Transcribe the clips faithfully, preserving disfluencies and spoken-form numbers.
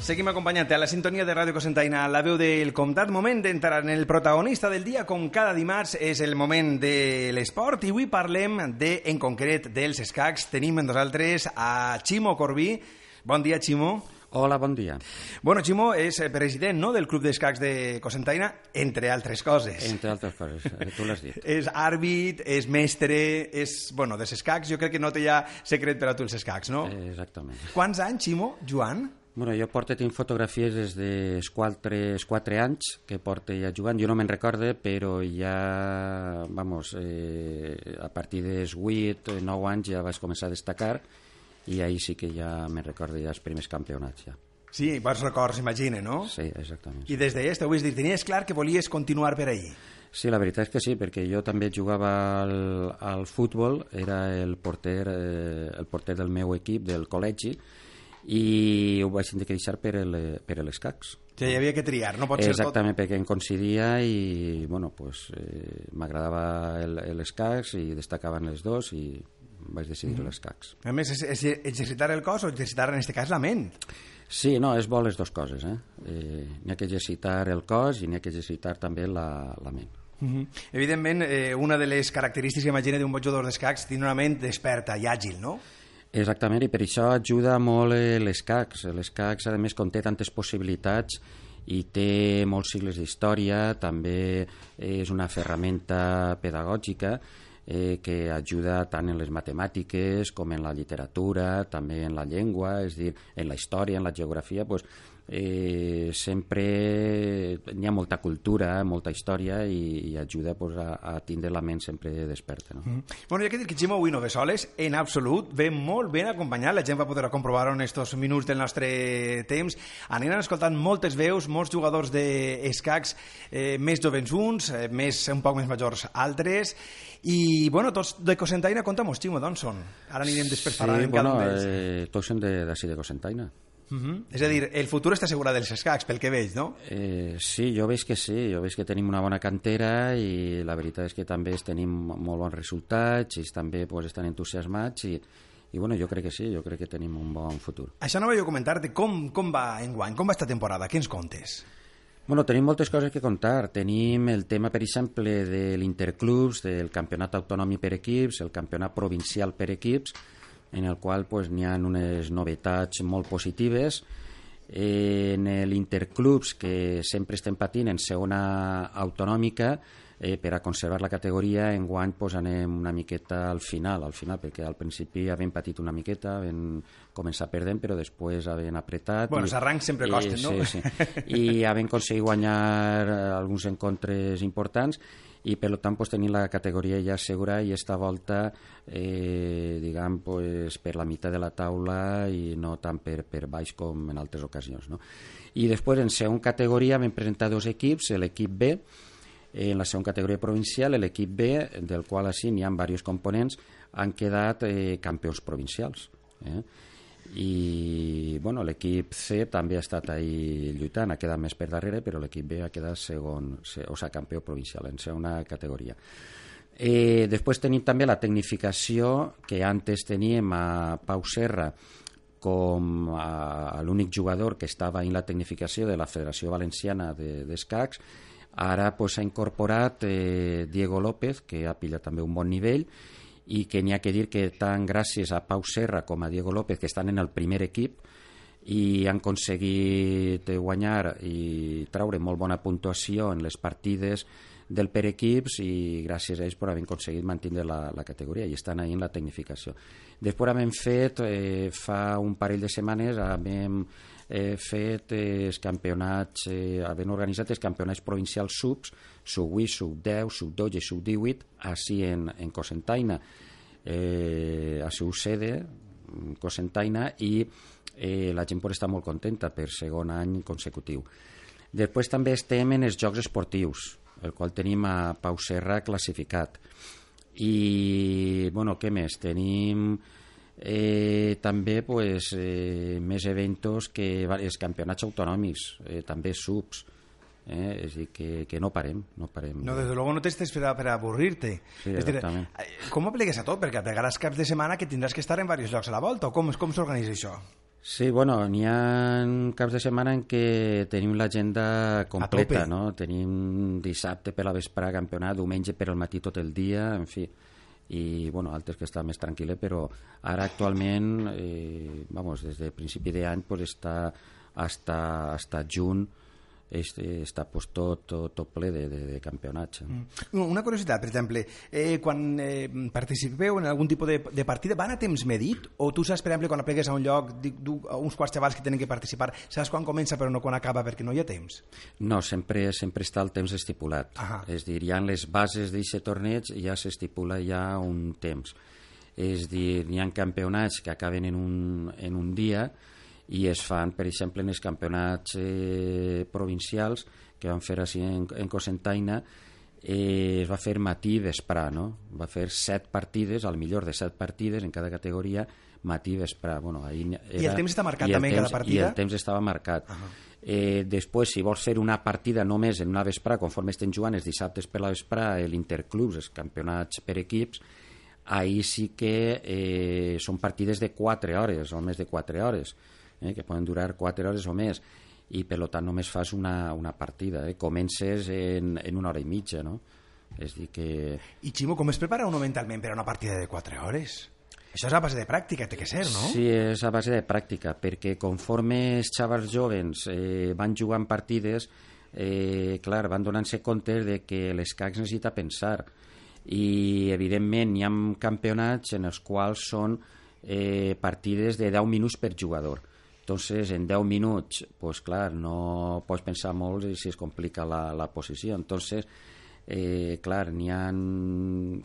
Seguim acompanyant-te a la sintonia de Ràdio Cocentaina, la veu del comtat. Moment d'entrar en el protagonista del dia, com cada dimarts és el moment de l'esport, i avui parlem de, en concret dels escacs. Tenim amb nosaltres a Ximo Corbí. Bon dia, Ximo. Hola, bon dia. Bueno, Ximo és president, no?, del Club d'Escacs de Cocentaina, entre altres coses. Entre altres coses, tu l'has dit. És àrbit, és mestre, és... Bueno, dels escacs jo crec que no té ja secret per a tu els escacs, no? Exactament. Quants anys, Ximo, Joan? Bueno, jo porto tinc fotografies des dels quatre, quatre anys que porto ja jugant. Jo no me'n recorde, però ja, vamos, eh, a partir dels vuit, nou anys ja vaig començar a destacar i ahir sí que ja me'n recordo ja els primers campionats, ja. Sí, bons records, imagina, no? Sí, exactament. I des d'ahir, t'ho vull dir, tenies clar que volies continuar per ahir? Sí, la veritat és que sí, perquè jo també jugava al, al futbol, era el porter, eh, el porter del meu equip, del col·legi, i ho vaig tenir que deixar per, el, per l'escacs. Sí, hi havia que triar, no pot ser tot. Exactament, perquè em coincidia i, bueno, pues, eh, m'agradava l'escacs i destacaven els dos i vaig decidir mm-hmm. l'escacs. A més, és, és exercitar el cos o exercitar, en aquest cas, la ment? Sí, no, és bo les dues coses. Eh? Eh, n'hi ha que exercitar el cos i n'hi ha que exercitar també la, la ment. Mm-hmm. Evidentment, eh, una de les característiques, imagina, d'un bon jugador d'escacs, tenir una ment desperta i àgil, no? Exactament, i per això ajuda molt l'escacs. L'escacs, a més, conté tantes possibilitats i té molts sigles d'història, també és una ferramenta pedagògica eh, que ajuda tant en les matemàtiques com en la literatura, també en la llengua, és a dir, en la història, en la geografia, doncs, eh, sempre hi ha molta cultura, molta història i, i ajuda pues, a, a tindre la ment sempre desperta. No? Mm. Bueno, hi ha que dir que Ximo avui no ve soles, en absolut, ve molt ben acompanyat, la gent va poder comprovar-ho en aquests minuts del nostre temps. Aniran escoltant moltes veus, molts jugadors d'escacs, eh, més jovens uns, eh, més, un poc més majors altres, i bueno, tots de Cocentaina, compta-mos, Ximo, d'on són? Ara anirem després parlant sí, en cada bueno, un d'ells. Eh, tots són d'ací de, de Cocentaina. Uh-huh. És a dir, el futur està assegurat dels escacs, pel que veig, no? Eh, sí, jo veig que sí, jo veig que tenim una bona cantera i la veritat és que també tenim molt bons resultats i també pues, estan entusiasmats i, i bueno, jo crec que sí, jo crec que tenim un bon futur. Això no vaig a comentar-te, com, com va enguany, com va esta temporada, què ens contes? Bueno, tenim moltes coses que contar. Tenim el tema, per exemple, de l'Interclubs, del campionat autonòmic per equips, el campionat provincial per equips, en el qual pues, n'hi ha unes novetats molt positives. Eh, en l'Interclubs, que sempre estem patint en segona autonòmica, eh, per a conservar la categoria, enguany pues, anem una miqueta al final, al final, perquè al principi havent patit una miqueta, havent començat perdent, però després havent apretat... Bueno, els arrancs sempre costen, eh, no? Sí, sí. I havent aconseguit guanyar alguns encontres importants, i per tant pues, tenim la categoria ja segura i esta volta eh, diguem pues, per la meitat de la taula i no tant per, per baix com en altres ocasions, no? I després en segona categoria vam presentar dos equips, l'equip B, eh, en la segona categoria provincial, l'equip B, del qual així n'hi ha diversos components, han quedat eh, campions provincials, eh? I bueno, l'equip C també ha estat ahí lluitant, ha quedat més per darrere, però l'equip B ha quedat segon, o sigui, campió provincial en segona categoria. Eh, després tenim també la tecnificació que antes teníem a Pau Serra com a, a l'únic jugador que estava en la tecnificació de la Federació Valenciana d'Escacs. Ara pues, s'ha incorporat eh, Diego López, que ha pillat també un bon nivell, i que n'hi ha que dir que tant gràcies a Pau Serra com a Diego López, que estan en el primer equip i han aconseguit guanyar i treure molt bona puntuació en les partides del per equips i gràcies a ells per haver aconseguit mantenir la, la categoria i estan ahí en la tecnificació. Després hem fet, eh, fa un parell de setmanes, hem eh, fet eh, els campionats, eh, hem organitzat els campionats provincials subs, sub vuit, sub deu, sub dotze, sub divuit, així en, en Cocentaina, eh, a seu sede, Cocentaina, i eh, la gent pot estar molt contenta per segon any consecutiu. Després també estem en els Jocs Esportius, el qual tenim a Pau Serra classificat. I, bueno, què més? Tenim eh, també pues, eh, més eventos que els campionats autonòmics, eh, també subs, eh? És a dir, que, que no parem, no parem. No, desde luego no t'estés per a, per a avorrir-te. Sí, és dir, exactament. com ho apliques a tot? Perquè pegaràs caps de setmana que tindràs que estar en diversos llocs a la volta, o com, com s'organitza això? Sí, bueno, n'hi ha caps de setmana en què tenim l'agenda completa, no? Tenim dissabte per la vesprada campionat, diumenge per al matí tot el dia, en fi, i bueno, altres que estan més tranquil·les, però ara actualment, eh, vamos, des de principi d'any pues, està hasta, hasta juny este, està pues, tot, tot, tot ple de, de, de campionats. Mm. Una curiositat, per exemple, eh, quan eh, participeu en algun tipus de, de partida, van a temps medit? O tu saps, per exemple, quan aplegues a un lloc, dic, du, uns quants xavals que tenen que participar, saps quan comença però no quan acaba perquè no hi ha temps? No, sempre, sempre està el temps estipulat. Ahà. És dir, hi ha les bases d'aquest torneig i ja s'estipula ja un temps. És dir, hi ha campionats que acaben en un, en un dia i es fan, per exemple, en els campionats eh, provincials que van fer així en, en Cocentaina, eh, es va fer matí i vesprà, no? Va fer set partides, al millor de set partides en cada categoria, matí i vesprà. Bueno, ahí era, I el temps està marcat també en cada partida? I el temps estava marcat. Uh -huh. eh, després, si vols fer una partida només en una vesprà, conforme estem jugant els dissabtes per la vesprà, l'interclubs, els campionats per equips, ahí sí que eh, són partides de quatre hores o més de quatre hores. Eh, que poden durar quatre hores o més i per tant només fas una, una partida, eh? Comences en, en una hora i mitja, no? És dir que... I Ximo, com es prepara uno mentalment per a una partida de quatre hores? Això és a base de pràctica, té que ser, no? Sí, és a base de pràctica, perquè conforme els xavals joves eh, van jugant partides, eh, clar, van donant-se compte de que l'escacs necessita pensar i evidentment hi ha campionats en els quals són eh, partides de deu minuts per jugador. Entonces, en deu minuts, pues clar, no pots pensar molt i si es complica la, la posició. Entonces, eh, clar, n'hi ha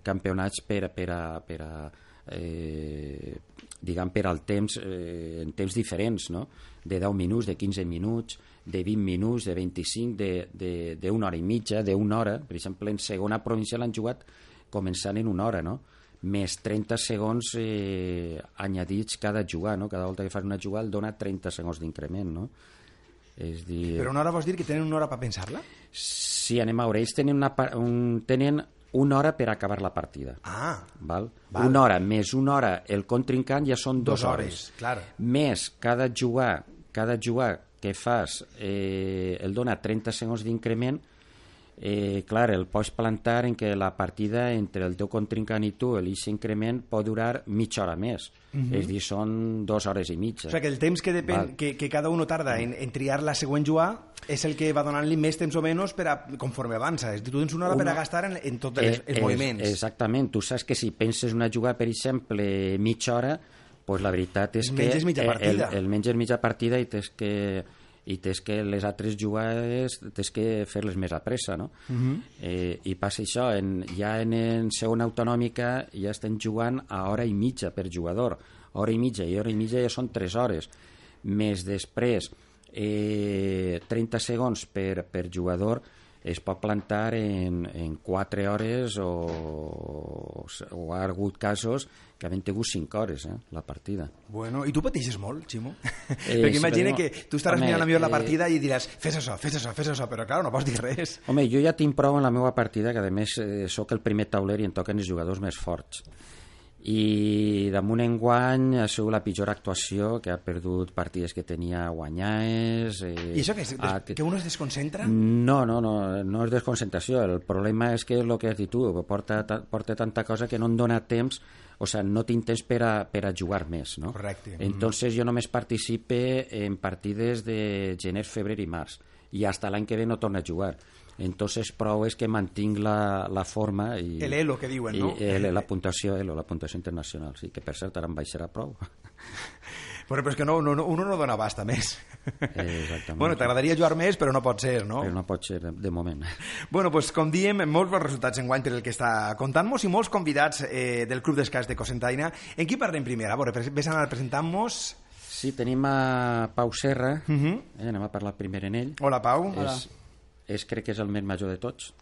campionats per, per a, per a eh, diguem, per al temps, eh, en temps diferents, no? De deu minuts, de quinze minuts, de vint minuts, de vint-i-cinc, d'una hora i mitja, d'una hora. Per exemple, en segona provincial han jugat començant en una hora, no? Més trenta segons eh, añadits cada jugar, no? Cada volta que fas una jugada el dona trenta segons d'increment, no? És dir... Però una hora vols dir que tenen una hora per pensar-la? Sí, anem a veure, ells tenen una, un, tenen una hora per acabar la partida. Ah, val? Val. Una hora més una hora el contrincant ja són dues dos hores. hores, clar. Més cada jugar, cada jugar que fas eh, el dona trenta segons d'increment. Eh, clar, el pots plantar en que la partida entre el teu contrincant i tu, aquest increment pot durar mitja hora més. Uh-huh. És dir, són dues hores i mitja. O sigui que el temps que, depèn, que, que cada uno tarda en, en triar la següent jugada és el que va donant-li més temps o menys per a, conforme avança. És dir, tu tens una hora una... per a gastar en, en tots els, els és, moviments. Exactament. Tu saps que si penses una jugada, per exemple, mitja hora, pues la veritat és que menges mitja partida. el, el menges mitja partida i tens que i tens que les altres jugades tens que fer-les més a pressa, no? Uh-huh. eh, i passa això, en, ja en, en segona autonòmica ja estem jugant a hora i mitja per jugador, hora i mitja i hora i mitja ja són tres hores, més després eh, trenta segons per, per jugador es pot plantar en, en quatre hores o, o ha hagut casos que havent tingut cinc hores, eh, la partida. Bueno, i tu pateixes molt, Ximo? Eh, Perquè sí, imagina però, que tu estaràs home, mirant millor la eh, partida i diràs fes això, fes això, fes això, però clar, no pots dir res. Home, jo ja tinc prou en la meva partida que a més eh, sóc el primer tauler i em toquen els jugadors més forts. I damunt enguany ha sigut la pitjor actuació, que ha perdut partides que tenia guanyades. Eh, I això que, és, ha, que uno es desconcentra? No, no, no, no és desconcentració. El problema és que és el que has dit tu, porta, porta tanta cosa que no em dona temps, o sigui, no tinc temps per a, per a jugar més, no? Correcte. Entonces jo només participe en partides de gener, febrer i març, i hasta l'any que ve no torno a jugar. Entonces prou és que mantinc la, la forma i, el elo que diuen, no? I el, la puntuació elo, la puntuació internacional, sí, que per cert ara em baixarà prou. Però, però és que no, no, uno no dona basta més. Eh, exactament. Bueno, t'agradaria jugar més, però no pot ser, no? Però no pot ser, de, de moment. Bueno, pues, com diem, molts bons resultats enguany per el que està contant-nos i molts convidats eh, del Club d'Escacs de Cocentaina. En qui parlem primer? A veure, ves a anar presentant-nos... Sí, tenim a Pau Serra, uh Uh-huh. eh, anem a parlar primer en ell. Hola, Pau. Hola. És, és, crec que és el més major de tots.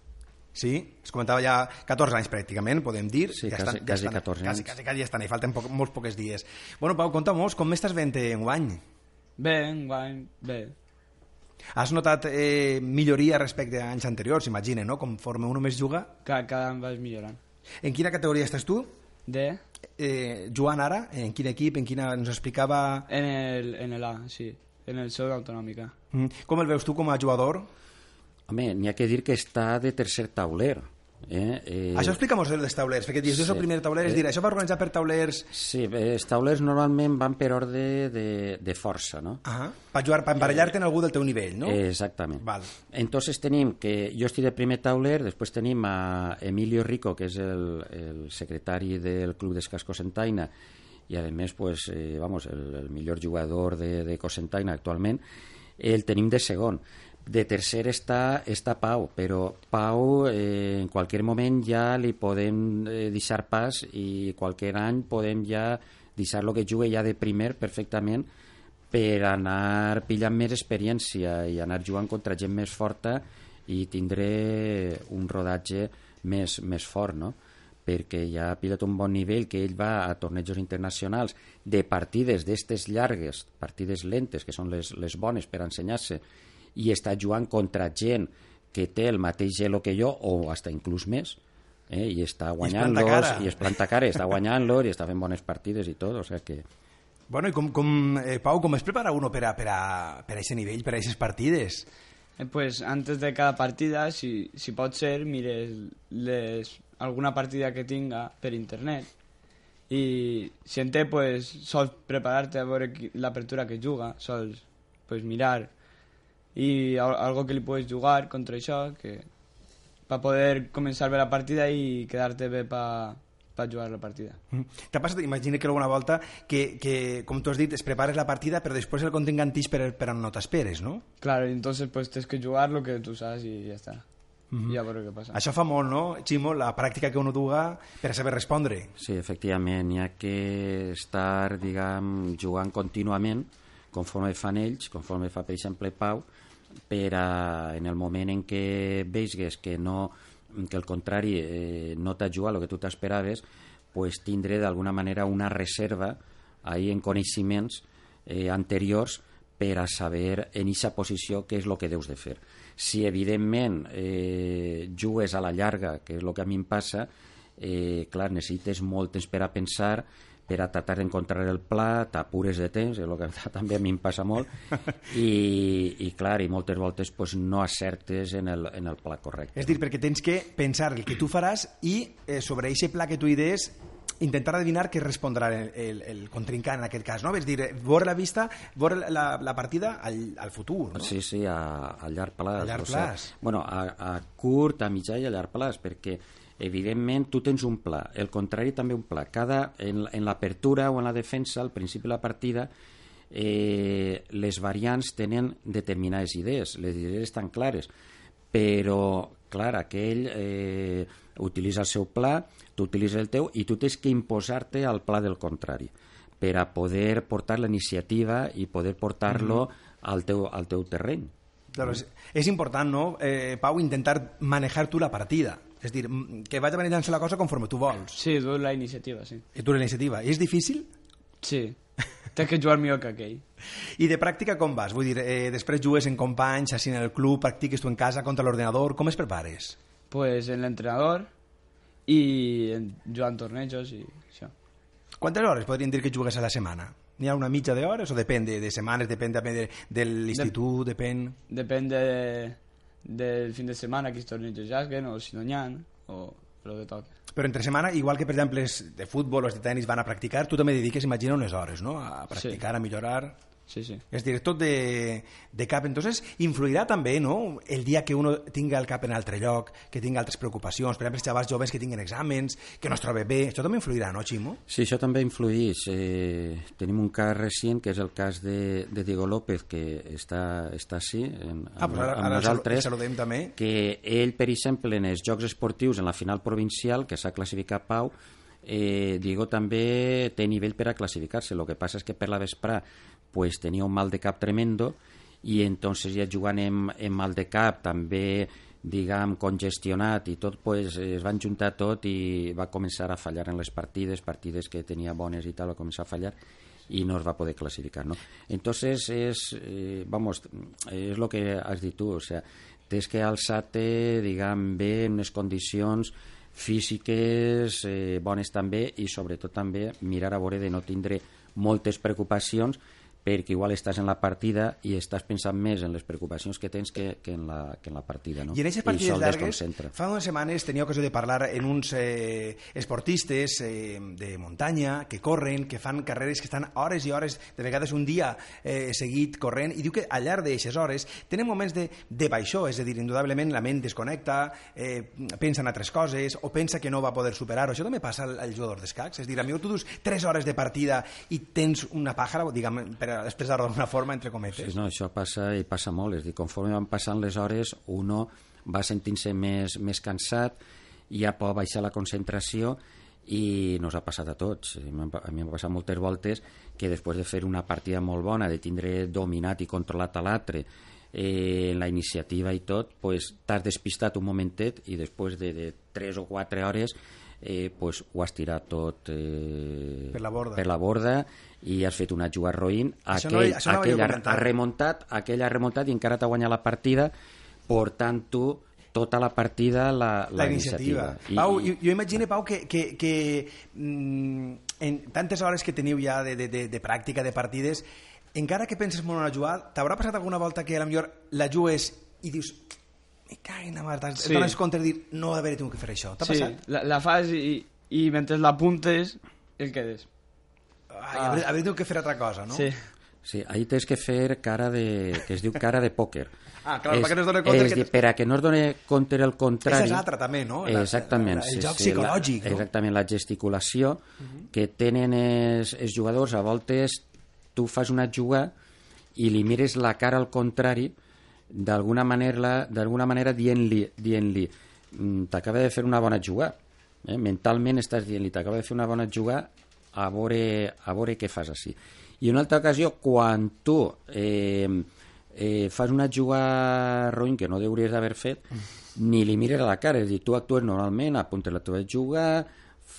Sí, es comentava ja catorze anys pràcticament, podem dir. Sí, ja quasi, estan, quasi ja estan, catorze quasi, anys. quasi, quasi ja estan, hi falten poc, molts pocs dies. Bueno, Pau, conta-mos, com m'estàs veient enguany? Bé, enguany, bé. Has notat eh, milloria respecte a anys anteriors, imagina, no? Conforme uno més juga. Cada, cada any vas millorant. En quina categoria estàs tu? De... Eh, Joan ara, en quin equip, en quina... Ens explicava... En el, en el A, sí. En el Seu d'Autonòmica. Mm. Com el veus tu com a jugador? Home, n'hi ha que dir que està de tercer tauler. Eh? Eh... Això explica'm dels taulers, perquè dius, sí. jo soc el primer tauler, és Eh... dir, això va organitzar per taulers... Sí, els taulers normalment van per ordre de, de força, no? Ah, per jugar, per emparellar-te en algú del teu nivell, no? Eh, exactament. Val. Entonces tenim que jo estic de primer tauler, després tenim a Emilio Rico, que és el, el secretari del Club d'Escacs Cocentaina, i a més, pues, eh, vamos, el, el millor jugador de, de Cocentaina actualment. El tenim de segon. De tercer està, està Pau, però Pau eh, en qualsevol moment ja li podem eh, deixar pas i qualsevol any podem ja deixar lo que jugue ja de primer perfectament per anar pillant més experiència i anar jugant contra gent més forta i tindré un rodatge més, més fort, no? Perquè ja ha pillat un bon nivell, que ell va a tornejos internacionals de partides d'estes llargues, partides lentes, que són les, les bones per ensenyar-se, i està jugant contra gent que té el mateix gelo que jo o hasta inclús més, eh? I està guanyant-los i es planta cara, està guanyant-los i està fent bones partides i tot, o sea que... Bueno, i com, com eh, Pau, com es prepara uno per a, per a, per a ese nivell, per a aquestes partides? Eh, pues antes de cada partida, si, si pot ser, mires les, alguna partida que tinga per internet i si en té, pues, sols preparar-te a veure l'apertura que juga, sols pues, mirar i algo que li puedes jugar contra això, que per poder començar bé la partida i quedar-te bé per pa jugar la partida. Mm. T'ha passat, imagina que alguna volta que, que, com tu has dit, es prepares la partida però després el contingentís per, per on no t'esperes, no? Claro, entonces pues tienes que jugar lo que tú sabes y ya está. Mm-hmm. I a veure què passa. Això fa molt, no, Ximo, la pràctica que uno duga per a saber respondre. Sí, efectivament, hi ha que estar, diguem, jugant contínuament conforme fan ells, conforme fa, per exemple, Pau, per a, en el moment en què veigues que, no, que el contrari eh, no t'ha jugat el que tu t'esperaves, pues tindre d'alguna manera una reserva ahí en coneixements eh, anteriors per a saber en aquesta posició què és el que deus de fer. Si evidentment eh, jugues a la llarga, que és el que a mi em passa, eh, clar, necessites molt temps per a pensar, per a tratar d'encontrar el pla, t'apures de temps, és el que també a mi em passa molt, i, i clar, i moltes voltes pues, no acertes en el, en el pla correcte. És dir, perquè tens que pensar el que tu faràs i eh, sobre aquest pla que tu idees intentar adivinar què respondrà el, el, el contrincant en aquest cas, no? És dir, veure la vista, veure la, la partida al, al futur, no? Sí, sí, a, a llarg plaç. A llarg o plaç. Sea, bueno, a, a curt, a mitjà i a llarg plaç, perquè evidentment tu tens un pla, el contrari també un pla. Cada, en, en l'apertura o en la defensa, al principi de la partida, eh, les variants tenen determinades idees, les idees estan clares, però, clar, aquell eh, utilitza el seu pla, tu utilitzes el teu i tu tens que imposar-te al pla del contrari per a poder portar la iniciativa i poder portar-lo mm-hmm. al, teu, al teu terreny. Claro, és, és important, no, eh, Pau, intentar manejar tu la partida. És dir, que vagi manejant-se la cosa conforme tu vols. Sí, tu la iniciativa, sí. I tu la iniciativa. És difícil? Sí. Tens que jugar millor que aquell. I de pràctica com vas? Vull dir, eh, després jugues en companys, així en el club, practiques tu en casa contra l'ordenador, com es prepares? Pues en l'entrenador i en, jugant tornejos i això. Quantes hores podríem dir que jugues a la setmana? N'hi ha una mitja d'hores o depèn de, de setmanes, depèn de, de, de l'institut, Dep depèn... Depèn de, del fin de setmana quins tornejos juguen o si no n'hi ha o el que toca. Però entre setmana, igual que per exemple de futbol o de tenis van a practicar, tu també dediques, imagina, unes hores, no? A practicar, sí. A millorar... Sí, sí. És dir, tot de, de cap. Entonces, influirà també, no?, el dia que uno tinga el cap en altre lloc, que tinga altres preocupacions, per exemple, els xavals joves que tinguen exàmens, que no es trobe bé, això també influirà, no, Ximo? Sí, això també influeix. Eh, tenim un cas recent, que és el cas de, de Diego López, que està, està així, en, ah, amb, pues ara, amb ara nosaltres, el saludem també. Que ell, per exemple, en els Jocs Esportius, en la final provincial, que s'ha classificat Pau, eh, Diego també té nivell per a classificar-se. El que passa és que per la vesprà pues tenia un mal de cap tremendo i entonces ja jugant en, en mal de cap també, diguem, congestionat i tot, pues es van juntar tot i va començar a fallar en les partides, partides que tenia bones i tal, va començar a fallar i no es va poder classificar, ¿no? Entonces es, eh, vamos, es lo que has dit tu, o sea, tens que alçar-te, diguem, bé en unes condicions físiques eh, bones també, i sobretot també mirar a veure de no tindre moltes preocupacions, perquè igual estàs en la partida i estàs pensant més en les preocupacions que tens que, que, en, la, que en la partida, no? I en aquestes partides llargues, desconcentra. fa unes setmanes tenia ocasió de parlar en uns eh, esportistes eh, de muntanya que corren, que fan carreres que estan hores i hores, de vegades un dia eh, seguit corrent, i diu que al llarg d'aixes hores tenen moments de, de baixó, és a dir, indudablement la ment desconnecta, eh, pensa en altres coses o pensa que no va poder superar-ho. Això també passa al, al jugador d'escacs, és a dir, a mi tu dus tres hores de partida i tens una pàjara, diguem, per expressar-ho d'alguna forma, entre cometes. Sí, no, això passa i passa molt, és a dir, conforme van passant les hores uno va sentint-se més, més cansat, ja pot baixar la concentració, i nos ha passat a tots. A mi m'ha passat moltes voltes que després de fer una partida molt bona, de tindre dominat i controlat a l'altre, eh, la iniciativa i tot, pues, t'has despistat un momentet i després de, de tres o quatre hores eh, pues, ho has tirat tot eh, per la borda. per la borda i has fet una jugada roïn. Això Aquell, no, això no aquell ha, ha remuntat, aquell ha remuntat i encara t'ha guanyat la partida, portant tu tota la partida la, la, la iniciativa. iniciativa. I, Pau, i... jo, jo imagino, Pau, que, que, que mm, en tantes hores que teniu ja de, de, de, de pràctica de partides, encara que penses molt en una jugada, t'haurà passat alguna volta que a la millor la jugues i dius, me caguin a mar, sí. Et dones compte de dir, no haver tingut que fer això. T'ha sí, passat? la, la fas i, i mentre l'apuntes el quedes. Ai, ah. haver, haver tingut que fer altra cosa, no? Sí. Sí, ahí tens que fer cara de... que es diu cara de pòquer. Ah, clar, és, perquè no es doni compte és que... dir, per a que no es doni compte el contrari... Esa és l'altra, també, no? La, exactament. La, la, el sí, joc sí, psicològic, la, no? Exactament, la gesticulació uh -huh. que tenen els, els jugadors. A voltes tu fas una jugada i li mires la cara al contrari d'alguna manera, d'alguna manera dient-li dient-li t'acaba de fer una bona jugada, eh? Mentalment estàs dient-li t'acaba de fer una bona jugada, a veure, a veure què fas així. I una altra ocasió, quan tu eh, eh, fas una jugada roïn que no hauries d'haver fet, ni li mires a la cara, és a dir, tu actues normalment, apuntes la teva jugada,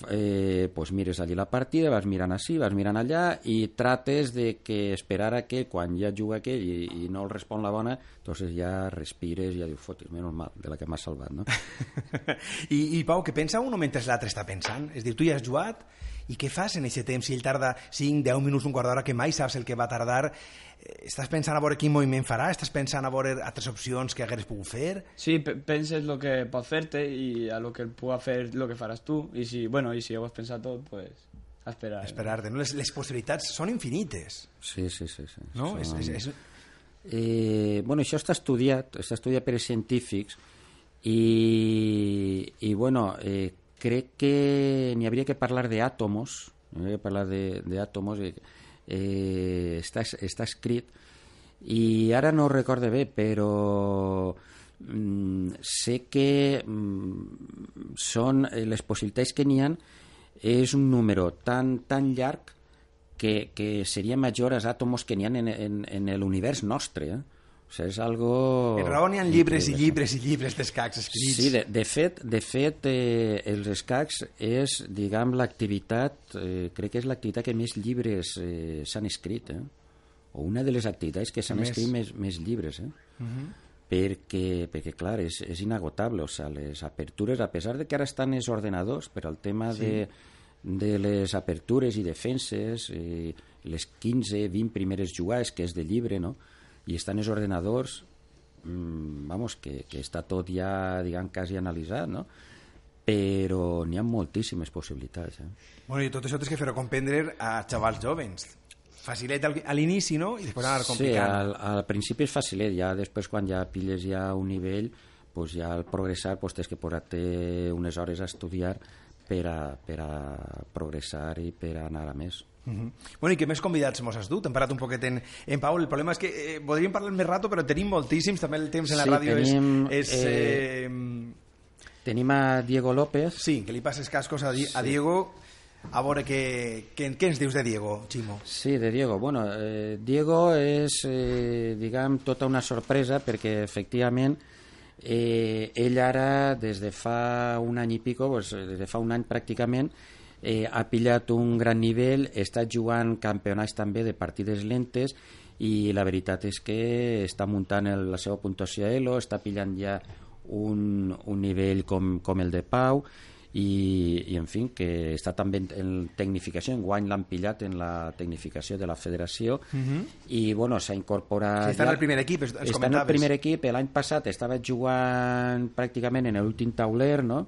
eh, pues mires allí la partida, vas mirant així, vas mirant allà i trates de que esperar a que quan ja juga aquell i, i no el respon la bona, entonces ja respires i ja dius, fotis, menys mal, de la que m'has salvat, no? I, I Pau, què pensa uno mentre l'altre està pensant? És a dir, tu ja has jugat i què fas en aquest temps? Si ell tarda cinc, deu minuts, un quart d'hora, que mai saps el que va tardar, estàs pensant a veure quin moviment farà? Estàs pensant a veure altres opcions que hagueres pogut fer? Sí, penses el que pot fer-te i a lo que pugui fer el que faràs tu, i si, bueno, i si ho has pensat tot, pues, a esperar. Esperar-te, no? Les, les possibilitats són infinites. Sí, sí, sí. sí. No? Són... És, és, és... Eh, bueno, això està estudiat, està estudiat per científics i, i bueno, eh, crec que n'hi hauria que parlar d'àtomos, n'hi hauria que parlar d'àtomos, eh, eh, està, està escrit, i ara no ho recorde bé, però mm, sé que mm, són les possibilitats que n'hi ha, és un número tan, tan llarg que, que seria major als àtomos que n'hi ha en, en, en l'univers nostre, eh? O sigui, és algo... En raó n'hi ha llibres i llibres i llibres d'escacs escrits. Sí, de, de fet, de fet eh, els escacs és, diguem, l'activitat, eh, crec que és l'activitat que més llibres eh, s'han escrit, eh? O una de les activitats que s'han escrit més, més llibres, eh? Uh-huh. perquè, perquè, clar, és, és inagotable, o sigui, les apertures, a pesar de que ara estan els ordenadors, per al tema sí. de, de les apertures i defenses, eh, les quinze, vint primeres jugades, que és de llibre, no?, i estan els ordenadors, mmm, vamos, que, que està tot ja, diguem, quasi analitzat, no? Però n'hi ha moltíssimes possibilitats. Eh? Bueno, i tot això tens que fer-ho comprendre a xavals jovens. Facilet a l'inici, no? I després anar complicant. Sí, al, al principi és facilet, ja després quan ja pilles ja un nivell, pues ja al progressar pues tens que posar-te unes hores a estudiar per a, per a progressar i per a anar a més. Uh-huh. Bueno, i què més convidats mos has dut? Hem parlat un poquet en, en Pau. El problema és que eh, podríem parlar més rato, però tenim moltíssims, també el temps en la sí, ràdio tenim, és... és eh, eh, tenim a Diego López. Sí, que li passes cascos a, Di sí. a Diego. A veure què, què, què ens dius de Diego, Ximo? Sí, de Diego. Bueno, eh, Diego és, eh, diguem, tota una sorpresa perquè, efectivament, eh, ell ara, des de fa un any i pico, pues, des de fa un any pràcticament, Eh, ha pillat un gran nivell, està jugant campionats també de partides lentes i la veritat és que està muntant el, la seva puntuació Elo, està pillant ja un, un nivell com, com el de Pau i, i en fi, que està també en tecnificació, enguany l'han pillat en la tecnificació de la federació, Mhm. i bueno, s'ha incorporat... Sí, està en el primer equip, ens està en el comentaves. primer equip, l'any passat estava jugant pràcticament en l'últim tauler, no?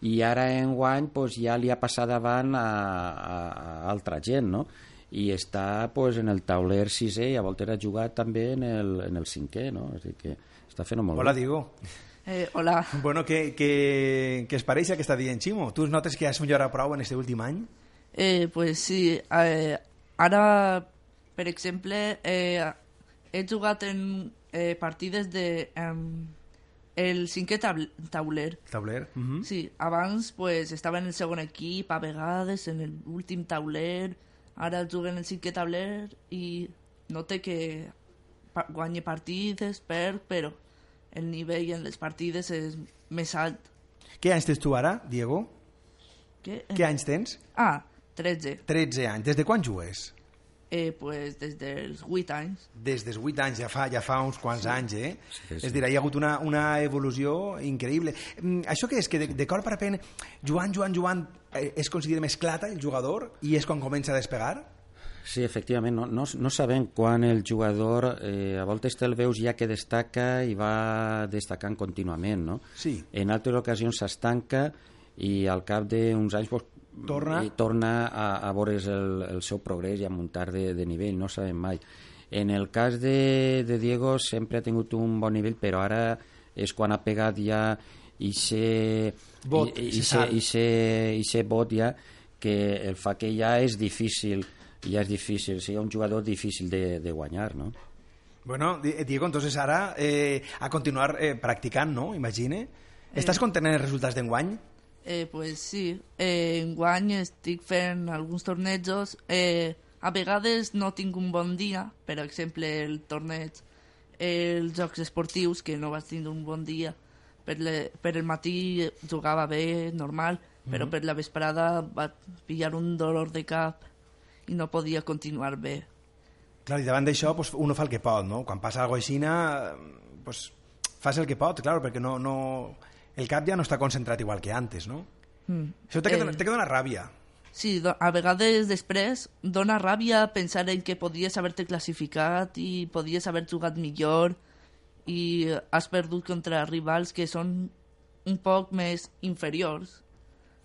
I ara enguany pues, ja li ha passat davant a, a, a altra gent, no? I està pues, en el tauler sisè i a voltes ha jugat també en el, en el cinquè, no? És a dir que està fent molt Hola, bé. Diego. Eh, hola. Bueno, què, què, què es pareix el que està dient Ximo? Tu notes que has millorat prou en aquest últim any? Eh, pues sí, eh, ara, per exemple, eh, he jugat en eh, partides de... em, el cinquè tabl- tauler. Tauler? Mhm. Sí, abans pues, estava en el segon equip, a vegades en l'últim tauler, ara jugo en el cinquè tauler i note que pa guanye partides, perd, però el nivell en les partides és més alt. Què anys tens tu ara, Diego? Què? Què anys tens? Ah, tretze. tretze anys. Des de quan jugues? Eh, pues des dels vuit anys. Des dels vuit anys, ja fa, ja fa uns quants sí. anys, eh? Sí, sí. És a dir, hi ha hagut una, una evolució increïble. Mm, això què és? Que de, de cop a repent, jugant, jugant, jugant, eh, es considera més clata el jugador i és quan comença a despegar? Sí, efectivament, no, no, no sabem quan el jugador, eh, a voltes te'l veus ja que destaca i va destacant contínuament, no? Sí. En altres ocasions s'estanca i al cap d'uns anys pues, Torna. i torna a, a veure's el, el seu progrés i a muntar de, de nivell, no sabem mai. En el cas de, de Diego sempre ha tingut un bon nivell, però ara és quan ha pegat ja i ser Bot, i, i, se ser, sap. i, ser, i ser bot ja, que el fa que ja és difícil, ja és difícil, sigui un jugador difícil de, de guanyar, no? Bueno, Di- Diego, entonces ara eh, a continuar eh, practicant, no? Imagine. Estàs content en els resultats d'enguany? Eh, pues sí, eh, enguany estic fent alguns tornejos. Eh, a vegades no tinc un bon dia, per exemple, el torneig, els jocs esportius, que no vaig tindre un bon dia. Per, le, per el matí jugava bé, normal, però per la vesprada vaig pillar un dolor de cap i no podia continuar bé. Clar, i davant d'això pues, uno fa el que pot, no? Quan passa alguna cosa així, pues, fas el que pot, clar, perquè no, no... el cap ja no està concentrat igual que antes, no? Mm. Això té que, Eh. donar- té que donar ràbia. Sí, do- a vegades després dona ràbia pensar en que podies haver-te classificat i podies haver jugat millor i has perdut contra rivals que són un poc més inferiors.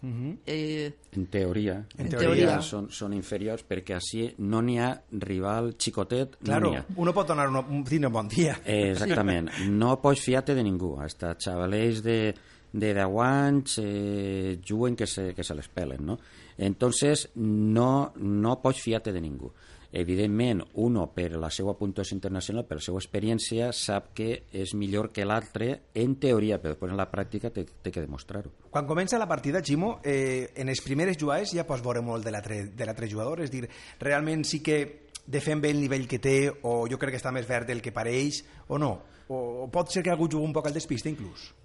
Mhm. Eh, En teoria, En en teoria. teoria són, són inferiors perquè així no n'hi ha rival xicotet, Claro, no n'hi ha. uno pot donar uno, un, tindre un bon dia. Eh, exactament, no pots fiar-te de ningú, hasta xavalers de, de deu anys eh, juguen que se, que se les pelen, no? Entonces no, no pots fiar-te de ningú. Evidentment, uno per la seva puntuació internacional, per la seva experiència, sap que és millor que l'altre en teoria, però després en la pràctica té, té que demostrar-ho. Quan comença la partida, Ximo, eh, en les primeres jugades ja pots veure molt de l'altre de l'altre jugador, és dir, realment sí que defèn bé el nivell que té, o jo crec que està més verd del que pareix, o no? O, o pot ser que algú jugui un poc al despiste, inclús?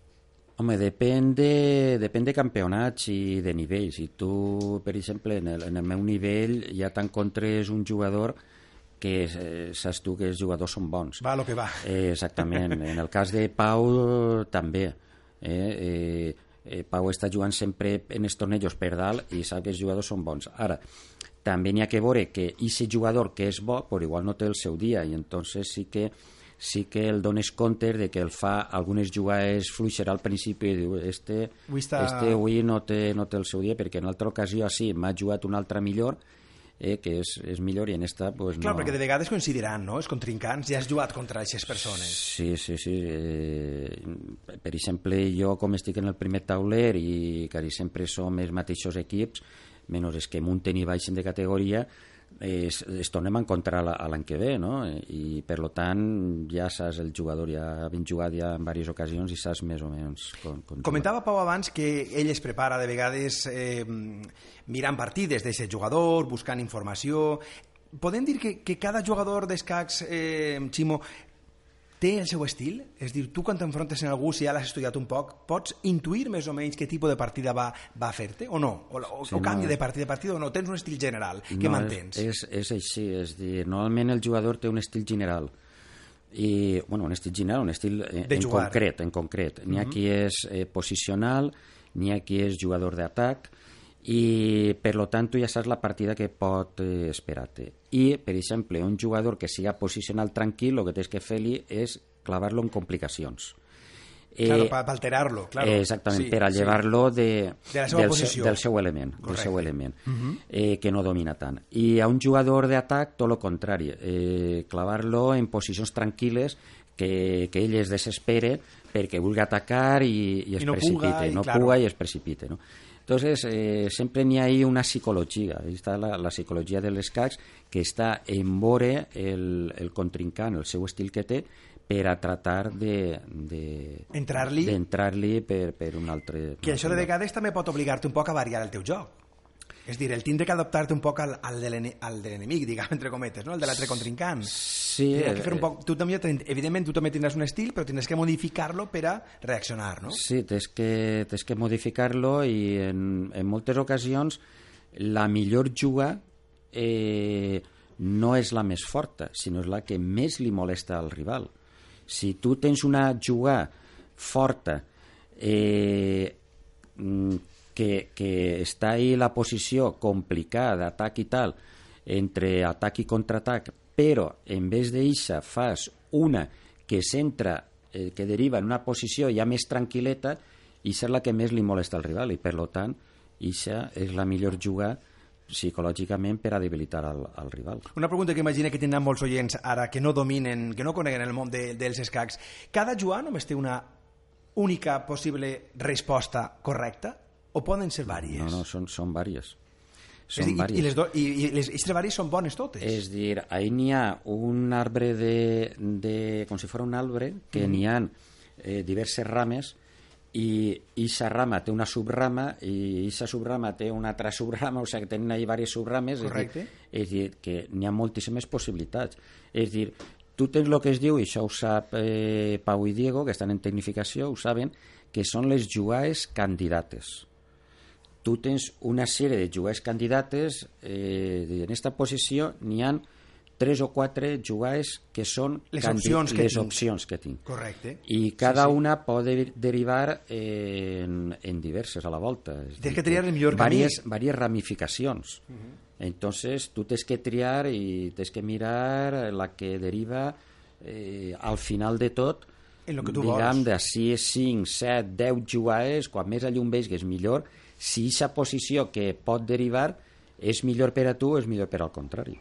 Home, depèn de, depèn de campionats i de nivells. Si tu, per exemple, en el, en el meu nivell ja t'encontres un jugador que eh, saps tu que els jugadors són bons. Va, lo que va. Eh, exactament. En el cas de Pau, també. Eh, eh, eh, Pau està jugant sempre en els tornejos per dalt i sap que els jugadors són bons. Ara, també n'hi ha que veure que aquest jugador que és bo, però igual no té el seu dia, i entonces sí que sí que el dones compte de que el fa algunes jugades fluixer al principi i diu, este Avui està- este avui no té, no té el seu dia perquè en altra ocasió sí, m'ha jugat una altra millor eh, que és, és millor i en esta pues, Clar, no. perquè de vegades coincidiran, no?, els contrincants, ja has jugat contra aquestes persones. Sí, sí, sí. Eh, per exemple, jo com estic en el primer tauler i quasi sempre som els mateixos equips, menys els que munten i baixen de categoria, eh, es, es tornem a encontrar la- a l'any que ve, no? I per lo tant ja saps el jugador, ja ben jugat ja en diverses ocasions i saps més o menys com, com Comentava Pau abans que ell es prepara de vegades eh, mirant partides d'aquest jugador, buscant informació. Podem dir que, que cada jugador d'escacs, eh, Ximo, té el seu estil? És a dir, tu quan t'enfrontes en algú, si ja l'has estudiat un poc, pots intuir més o menys què tipus de partida va, va fer-te o no? O, o, Sí, o canvia no. de partida a partida o no? Tens un estil general que No, mantens? És, és, és així, és dir, normalment el jugador té un estil general i, bueno, un estil general, un estil en, De en jugar. concret, en concret. N'hi ha qui és eh, posicional, n'hi ha qui és jugador d'atac, i per lo tant tu ja saps la partida que pot eh, esperar-te. I, per exemple, un jugador que siga posicional tranquil, el que tens que fer-li és clavar-lo en complicacions. Claro, eh, para alterarlo, claro. Eh, exactament, sí, per a llevar-lo de, de la seva del, posició. del seu element, del seu element uh -huh. eh, que no domina tant. I a un jugador d'atac, tot el contrari, eh, clavar-lo en posicions tranquil·les que, que ell es desespere perquè vulgui atacar i, i es I no precipite, puga, i, no claro. puga i es precipite, no? Entonces, eh, sempre n'hi ha ahí una psicologia, ahí està la, la psicologia dels escacs, que està en veure el, el contrincant, el seu estil que té, per a tratar de, de entrar-li d'entrar-li per, per un altre... Que això de vegades també pot obligar-te un poc a variar el teu joc. És dir, el tindre que adaptar-te un poc al, al de l'enemic, diguem, entre cometes, no? El de l'altre contrincant. Sí. Que fer un poc, tu també, evidentment, tu també tindràs un estil, però tindràs que modificar-lo per a reaccionar, no? Sí, tens que, tens que modificar-lo i en, en moltes ocasions la millor juga eh, no és la més forta, sinó és la que més li molesta al rival. Si tu tens una jugada forta eh, que, que està ahí la posició complicada d'atac i tal, entre atac i contraatac, però en vez d'eixa fas una que centra, eh, que deriva en una posició ja més tranquil·leta, i és la que més li molesta al rival, i per tant, eixa és la millor jugada psicològicament per a debilitar el, el rival. Una pregunta que imagina que tindran molts oients ara que no dominen, que no coneguen el món de, dels escacs. Cada jugada només té una única possible resposta correcta o poden ser vàries? No, no, són, són vàries. Són dir, vàries. I les, do, i, i les aquestes vàries són bones totes? És dir, ahí n'hi ha un arbre de, de com si fos un arbre que mm. n'hi ha eh, diverses rames i aquesta rama té una subrama i aquesta subrama té una altra subrama, o sigui que tenen ahí diverses subrames. Correcte. És dir, és dir, que n'hi ha moltíssimes possibilitats. És dir, tu tens el que es diu, i això ho sap eh, Pau i Diego, que estan en tecnificació, ho saben, que són les jugades candidates. Tu tens una sèrie de jugades candidates, eh, en aquesta posició n'hi ha tres o quatre jugades que són les opcions que, les tinc. opcions que tinc. Correcte. I cada sí, sí. una pot derivar en, en diverses a la volta. És tens dir, que triar el millor varies, camí. Varies ramificacions. Uh -huh. Entonces, tu tens que triar i tens que mirar la que deriva eh, al final de tot, en lo que tu diguem, vols. de sis, cinc, set, deu jugades, quan més a llum veigues millor. Si aquesta posició que pot derivar és millor per a tu, és millor per al contrari.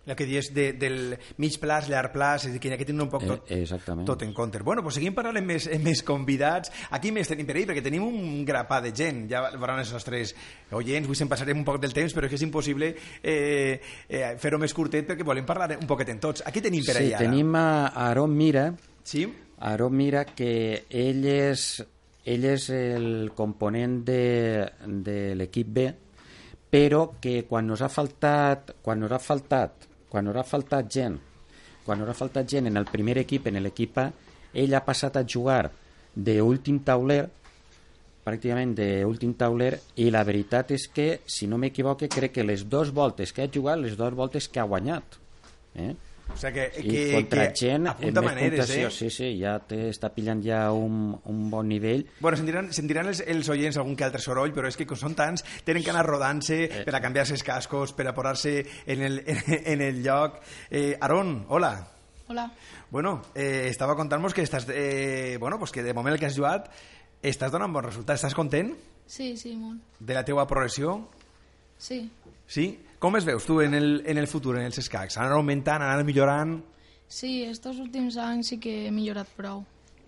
El que dius de, del mig plaç, llarg plaç, és a dir, que hi ha que tenir un poc tot, eh, tot en compte. Bueno, pues seguim parlant amb més, amb més convidats. Aquí més tenim per ahir, perquè tenim un grapà de gent. Ja veuran els nostres oients, avui se'n passarem un poc del temps, però és que és impossible eh, eh, fer-ho més curtet perquè volem parlar un poquet en tots. Aquí tenim per ahir sí, ara. tenim a Aaron Mira. Sí? Aaron Mira, que ell és, ell és el component de, de l'equip B, però que quan nos ha faltat, quan nos ha faltat quan nos ha faltat gent quan nos ha faltat gent en el primer equip, en l'equip A, ell ha passat a jugar d'últim tauler, pràcticament d'últim tauler, i la veritat és que, si no m'equivoque, crec que les dues voltes que ha jugat, les dues voltes que ha guanyat. Eh? O sigui que, I que, contra que gent apunta amb més maneres, puntuació, eh? sí, sí, ja te està pillant ja un, un bon nivell. Bueno, sentiran, sentiran els, els oients algun que altre soroll, però és que com són tants, tenen que anar rodant-se eh. per a canviar-se els cascos, per a posar-se en, el, en, en el lloc. Eh, Aaron, hola. Hola. Bueno, eh, estava contant-nos que estàs, eh, bueno, pues que de moment el que has jugat estàs donant bons resultats. Estàs content Sí, sí, molt. de la teua progressió? Sí. Sí? Com es veus tu en el, en el futur, en els escacs? Anar augmentant, anar millorant? Sí, estos últims anys sí que he millorat prou.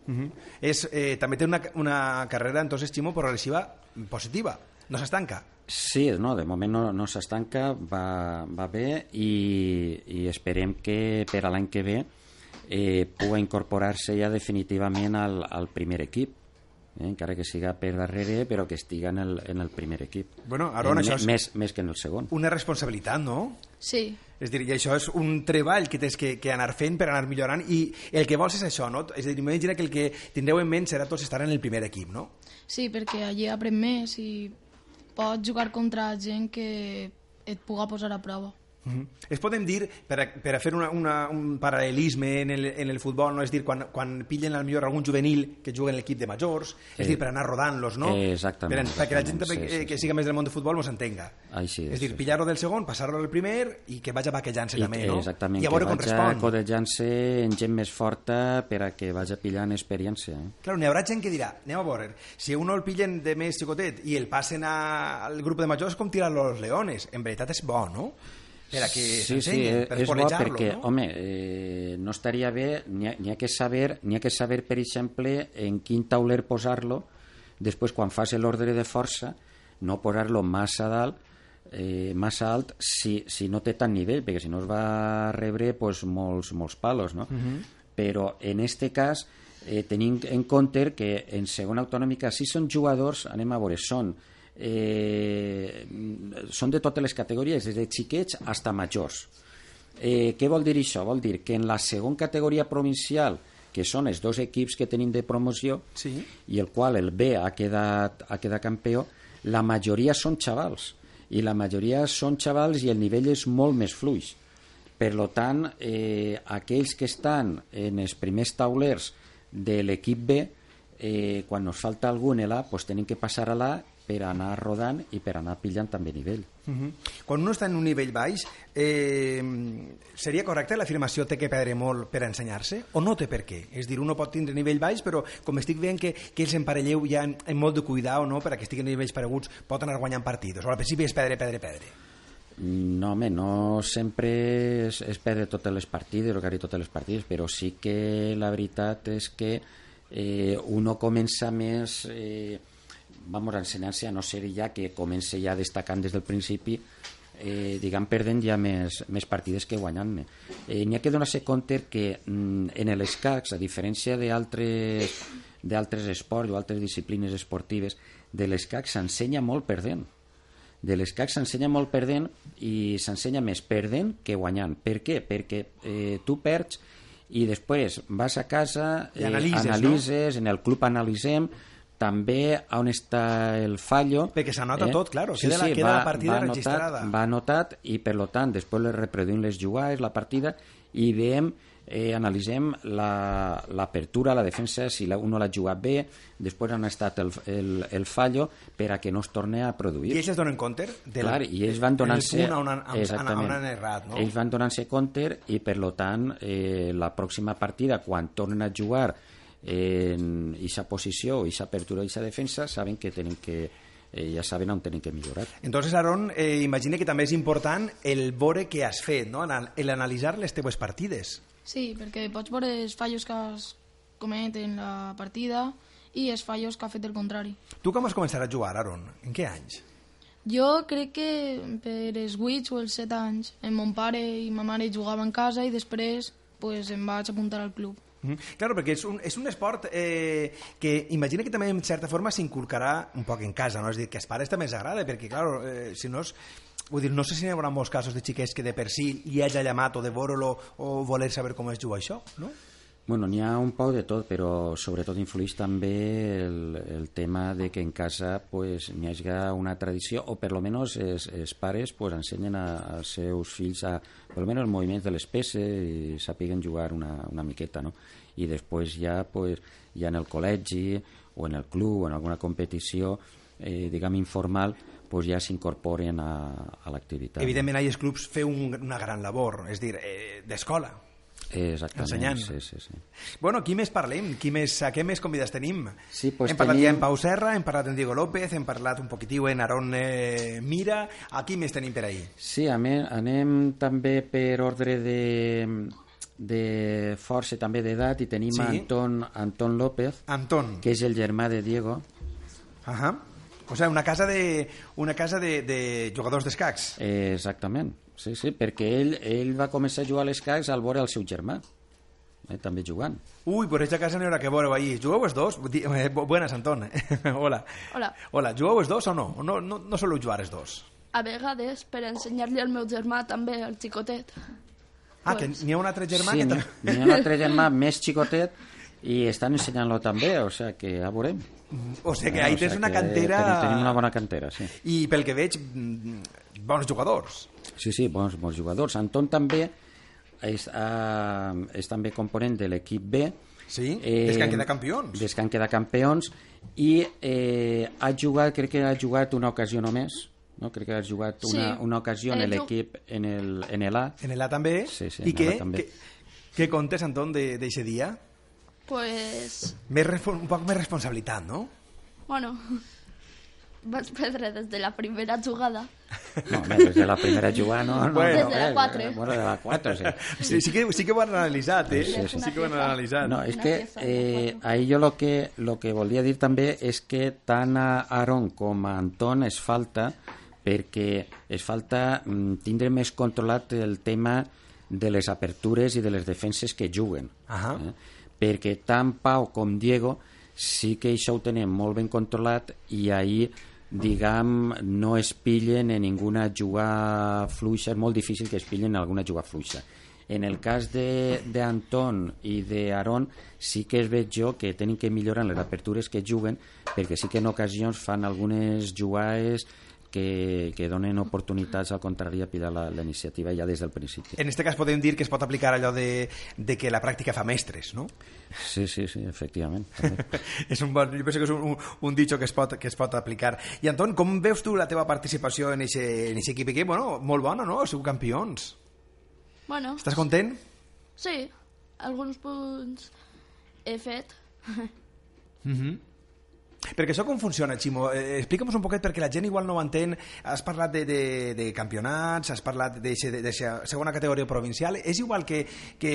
Uh -huh. És, eh, també té una, una carrera, entonces, Ximo, progressiva positiva. No s'estanca. Sí, no, de moment no, no s'estanca, va, va bé i, i esperem que per a l'any que ve eh, pugui incorporar-se ja definitivament al, al primer equip. Eh, encara que siga per darrere, però que estiga en el, en el primer equip. Bueno, Aaron, eh, això és més, més que en el segon. Una responsabilitat, no? Sí. És a dir, i això és un treball que tens que, que anar fent per anar millorant, i el que vols és això, no? És a dir, m'imagina que el que tindreu en ment serà tots estar en el primer equip, no? Sí, perquè allí aprèn més i pots jugar contra gent que et puga posar a prova. Mm-hmm. Es podem dir, per a, per a fer una, una, un paral·lelisme en el, en el futbol, no? És dir, quan, quan pillen al millor algun juvenil que juga en l'equip de majors, és eh, dir, per anar rodant-los, no? Eh, exactament. Per, perquè la gent sí, sí, sí, que sí. siga més del món de futbol mos entenga. Així és, és dir, sí, pillar-lo del segon, passar-lo al primer i que vagi vaquejant-se també, no? Exactament, I a veure que com vaja respon. codejant-se en gent més forta per a que vagi pillant experiència. Eh? Claro, n'hi haurà gent que dirà, anem a veure, si a uno el pillen de més xicotet i el passen a, al grup de majors com tirar los leones. En veritat és bo, no? Per a que sí, sí, s'ensenyen, per és bo perquè, no? home, eh, no estaria bé, n'hi ha, n'hi ha que saber, n'hi ha que saber, per exemple, en quin tauler posar-lo, després quan fas l'ordre de força, no posar-lo massa dalt, eh, massa alt, si, si no té tant nivell, perquè si no es va rebre pues, molts, molts palos, no? Uh-huh. Però en este cas, eh, tenint en compte que en segona autonòmica, si són jugadors, anem a veure, són Eh, són de totes les categories, des de xiquets fins a majors. Eh, què vol dir això? Vol dir que en la segona categoria provincial, que són els dos equips que tenim de promoció, sí. i el qual el B ha quedat, ha quedat campió, la majoria són xavals, i la majoria són xavals i el nivell és molt més fluix. Per tant, eh, aquells que estan en els primers taulers de l'equip B, eh, quan nos falta algun en l'A, pues, tenim que passar a l'A per anar rodant i per anar pillant també nivell. Uh-huh. Quan uno està en un nivell baix, eh, seria correcte l'afirmació té que perdre molt per ensenyar-se o no té per què? És dir, uno pot tindre nivell baix, però com estic veient que, que els emparelleu ja en, en molt de cuidar o no, per a que estiguin nivells pareguts, pot anar guanyant partits. O al principi és perdre, perdre, perdre. No, home, no sempre és, és perdre totes les partides o quasi totes les partides, però sí que la veritat és que eh, uno comença més... Eh, vamos a ensenyar-se a no ser ja que comença ja destacant des del principi, eh, diguem, perdent ja més, més partides que guanyant-ne. Eh, N'hi ha que donar-se compte que mm, en l'escacs, a diferència d'altres d'altres esports o altres disciplines esportives, de l'escacs s'ensenya molt perdent. De l'escacs s'ensenya molt perdent i s'ensenya més perdent que guanyant. Per què? Perquè eh, tu perds i després vas a casa, eh, analitzes, analitzes, no? En el club analitzem també on està el fallo, perquè s'anota eh? tot, claro, sí, queda, sí, la, queda va, la partida va registrada anotat, va anotat i per tant després les reproduïm les jugades, la partida i veiem, eh, analitzem l'apertura, la, la defensa, si la, uno l'ha jugat bé, després on ha estat el, el, el fallo per a que no es torni a produir. I ells es donen compte del, Clar, i ells van donant-se on han, on han errat, no? Ells van donant-se compte i per tant eh, la pròxima partida quan tornen a jugar en aquesta posició, aquesta apertura i aquesta defensa, saben que tenen que eh, ja saben on tenen que millorar. Entonces, Aaron, eh, imagina que també és important el veure què has fet, no? L'analitzar les teves partides. Sí, perquè pots veure els fallos que has comet en la partida i els fallos que ha fet el contrari. Tu com vas començar a jugar, Aaron? En què anys? Jo crec que per els vuit o els set anys, en mon pare i ma mare jugaven a casa i després pues, em vaig apuntar al club. Mm -hmm. Claro, perquè és un, és un esport eh, que imagina que també en certa forma s'inculcarà un poc en casa, no? És dir, que als pares també els agrada, perquè claro, eh, si no és... Vull dir, no sé si n'hi haurà molts casos de xiquets que de per si li hagi llamat o de veure-lo o voler saber com es juga això, no? Bueno, n'hi ha un poc de tot, però sobretot influeix també el, el tema de que en casa pues, n'hi hagi una tradició, o per lo menos els, els pares pues, ensenyen a, als seus fills a, per lo menos els moviments de les peces i sàpiguen jugar una, una miqueta, no? I després ja, pues, ja en el col·legi o en el club o en alguna competició, eh, diguem, informal, pues ja s'incorporen a, a l'activitat. Evidentment, ahir els clubs feu un, una gran labor, és dir, eh, d'escola. Exactament, ensenyant. Sí, sí, sí. Bueno, qui més parlem? Qui més, a què més convidats tenim? Sí, pues hem parlat tenim... ja en Pau Serra, hem parlat en Diego López, hem parlat un poquitiu en Aaron eh, Mira. A qui més tenim per ahir? Sí, anem, anem també per ordre de, de força, també d'edat, i tenim sí. Anton, Anton López, Anton. que és el germà de Diego. Ahà. O sigui, una casa de, una casa de, de jugadors d'escacs. Eh, exactament, sí, sí, perquè ell, ell va començar a jugar a l'escacs al veure el seu germà, eh, també jugant. Ui, per aquesta casa n'hi haurà que veure ahir. Jugueu els dos? Eh, buenas, Anton. Hola. Hola. Hola, jugueu els dos o no? No, no, no soleu jugar els dos? A vegades, per ensenyar-li al meu germà també, al xicotet. Ah, pues... que n'hi ha un altre germà sí, que... n'hi ha un altre germà més xicotet i estan ensenyant-lo també, o sigui que ja veurem. O sigui que ahí o tens sea una cantera... Tenim, tenim una bona cantera, sí. I pel que veig, bons jugadors. Sí, sí, bons, bons jugadors. Anton també és, uh, és també component de l'equip B. Sí, eh, des que han quedat campions. Des que han quedat campions i eh, ha jugat, crec que ha jugat una ocasió només, no? Crec que ha jugat una, Sí. una ocasió en Eh, l'equip en el, en el A. En l'A també. Sí, sí, I en què, l'A també. què, què contes, Anton, d'aquest dia? Pues, Més, respon- un poc més responsabilitat, no? bueno, vaig perdre des de la primera jugada. No, home, des de la primera jugada, no, no, Bueno. no, Des de la eh, quatre. Bueno, de la quatre, sí. Sí, sí, que, sí que ho han analitzat, eh? Sí, sí, sí. Sí que ho han analitzat. No, és Una que pieza de eh, cuatro. ahí jo lo que, lo que volia dir també és que tant a Aaron com a Anton es falta perquè es falta mm, tindre més controlat el tema de les apertures i de les defenses que juguen. Ahà. Eh? Perquè tant Pau com Diego sí que això ho tenen molt ben controlat i ahir, diguem, no es pillen en ninguna jugada fluixa, és molt difícil que es pillen en alguna jugada fluixa. En el cas d'Anton i d'Aaron sí que es veig jo que tenen que millorar en les apertures que juguen perquè sí que en ocasions fan algunes jugades que, que donen oportunitats al contrari a pillar la, la iniciativa ja des del principi. En aquest cas podem dir que es pot aplicar allò de, de que la pràctica fa mestres, no? Sí, sí, sí, efectivament. També. És un bon, jo penso que és un, un, un dicho que es, pot, que es pot aplicar. I Anton, com veus tu la teva participació en aquest equip? Que, bueno, molt bona, no? Sou campions. Bueno, Estàs content? sí, alguns punts he fet. Mhm. Perquè això com funciona, Ximo? Eh, Explica'm un poquet perquè la gent igual no ho entén. Has parlat de, de, de campionats, has parlat de segona categoria provincial. És igual que, que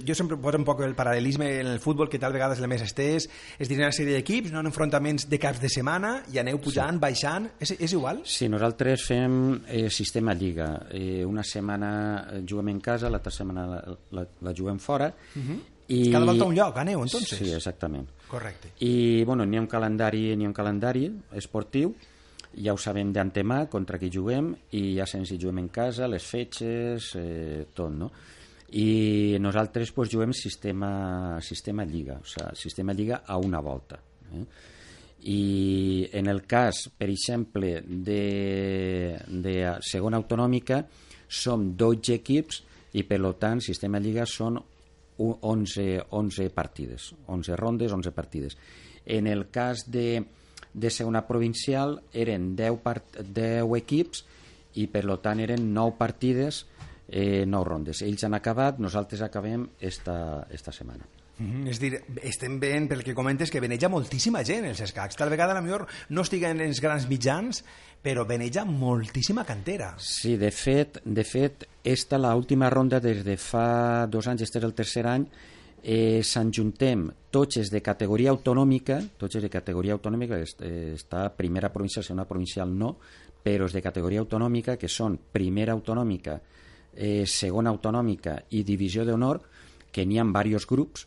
jo sempre poso un poc el paral·lelisme en el futbol, que tal vegades el més estès, és dir, una sèrie d'equips, no en enfrontaments de caps de setmana, i aneu pujant, sí. baixant. És, és igual? Sí, nosaltres fem eh, sistema lliga. Eh, una setmana juguem en casa, l'altra setmana la, la, la juguem fora. Uh-huh. I... Cada volta un lloc, aneu, entonces? Sí, exactament. Correcte. I, bueno, n'hi ha un calendari, n'hi ha un calendari esportiu, ja ho sabem d'antemà contra qui juguem, i ja sabem si juguem en casa, les fetges, eh, tot, no? I nosaltres pues, juguem sistema, sistema lliga, o sigui, sistema lliga a una volta. Eh? I en el cas, per exemple, de, de segona autonòmica, som dotze equips i, per tant, sistema lliga són onze, onze partides, onze rondes, onze partides. En el cas de, de segona provincial eren deu, part, deu equips i per tant eren nou partides, eh, nou rondes. Ells han acabat, nosaltres acabem esta, esta setmana. Mm-hmm. És dir, estem veient pel que comentes que veneja moltíssima gent els escacs. Tal vegada a lo millor no estiguen en els grans mitjans, però veneja moltíssima cantera. Sí, de fet, de fet esta l'última ronda des de fa dos anys, este és el tercer any, eh, s'enjuntem tots els de categoria autonòmica, tots els de categoria autonòmica, eh, està primera provincial, segona provincial no, però els de categoria autonòmica, que són primera autonòmica, eh, segona autonòmica i divisió d'honor, que n'hi ha diversos grups,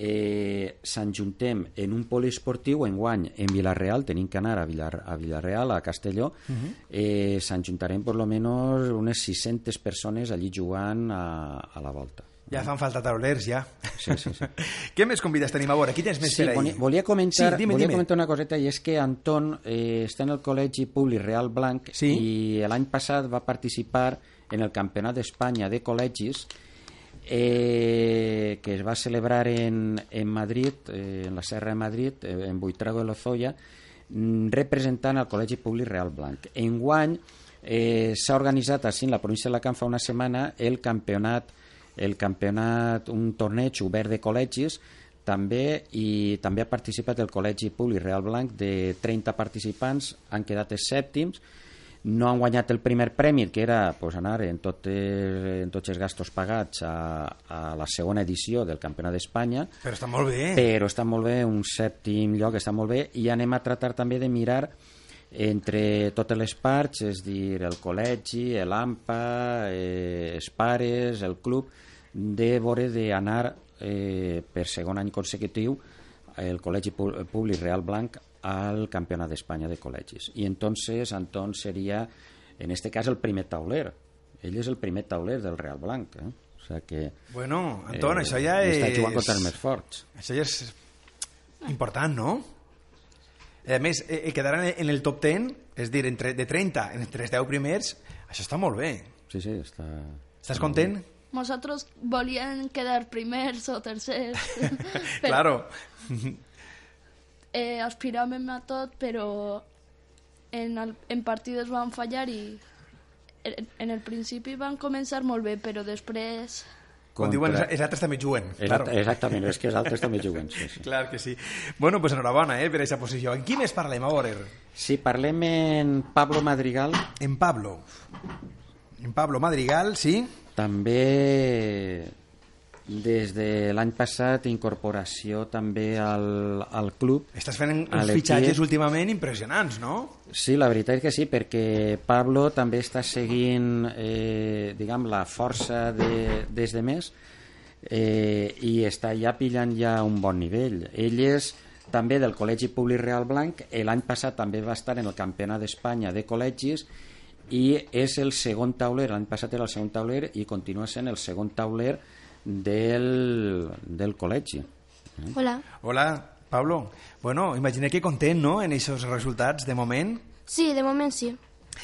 eh, s'enjuntem en un poliesportiu enguany en Vilareal, tenim que anar a, Villar, a Vilareal, a Castelló, uh-huh. eh, s'enjuntarem per lo menos unes sis-centes persones allí jugant a, a la volta. Ja fan falta taulers, ja. Sí, sí, sí. Què més convides tenim a veure? Qui tens més Sí, per ahí? volia comentar, sí, dime, volia dime. comentar una coseta, i és que Anton eh, està en el Col·legi Públic Real Blanc, sí? i l'any passat va participar en el Campionat d'Espanya de Col·legis, eh, que es va celebrar en, en Madrid, eh, en la Serra de Madrid, eh, en Buitrago de Lozoya, representant el Col·legi Públic Real Blanc. Enguany eh, s'ha organitzat així en la província d'Alacant fa una setmana el campionat, el campionat, un torneig obert de col·legis, també, i també ha participat el Col·legi Públic Real Blanc de trenta participants, han quedat els sèptims, no han guanyat el primer premi, que era pues, anar en, tot, en tots els gastos pagats a, a la segona edició del Campionat d'Espanya. Però està molt bé. Però està molt bé, un sèptim lloc està molt bé, i anem a tratar també de mirar entre totes les parts, és dir, el col·legi, l'AMPA, eh, els pares, el club, de veure d'anar eh, per segon any consecutiu el Col·legi Públic Real Blanc al Campionat d'Espanya de Col·legis. I entonces Anton seria, en este cas, el primer tauler. Ell és el primer tauler del Real Blanc. Eh? O sea que, bueno, Anton, eh, això ja és... Està jugant contra els més forts. Això ja és important, no? A més, eh, quedaran en el top deu, és dir, entre, de trenta, entre els deu primers, Això està molt bé. Sí, sí, està... Estàs content? Nosotros volían quedar primers o tercers. Però, Claro. eh, aspiràvem a tot, però en, el, en partides van fallar i en, en el principi van començar molt bé, però després... Quan diuen els altres també juguen. Claro. Exactament, és que els altres també juguen. Sí, sí. Clar que sí. Bueno, pues enhorabona eh, per aquesta posició. En qui més parlem, a veure? Si parlem en Pablo Madrigal... En Pablo. En Pablo Madrigal, sí. També des de l'any passat incorporació també al, al club. Estàs fent a uns l'equip. fitxatges últimament impressionants, no? Sí, la veritat és que sí, perquè Pablo també està seguint eh, diguem, la força de, des de més eh, i està ja pillant ja un bon nivell. Ell és també del Col·legi Públic Real Blanc, l'any passat també va estar en el Campionat d'Espanya de col·legis i és el segon tauler, l'any passat era el segon tauler i continua sent el segon tauler del, del col·legi. Hola. Hola, Pablo. Bueno, imagina que content, no?, en aquests resultats, de moment. Sí, de moment sí.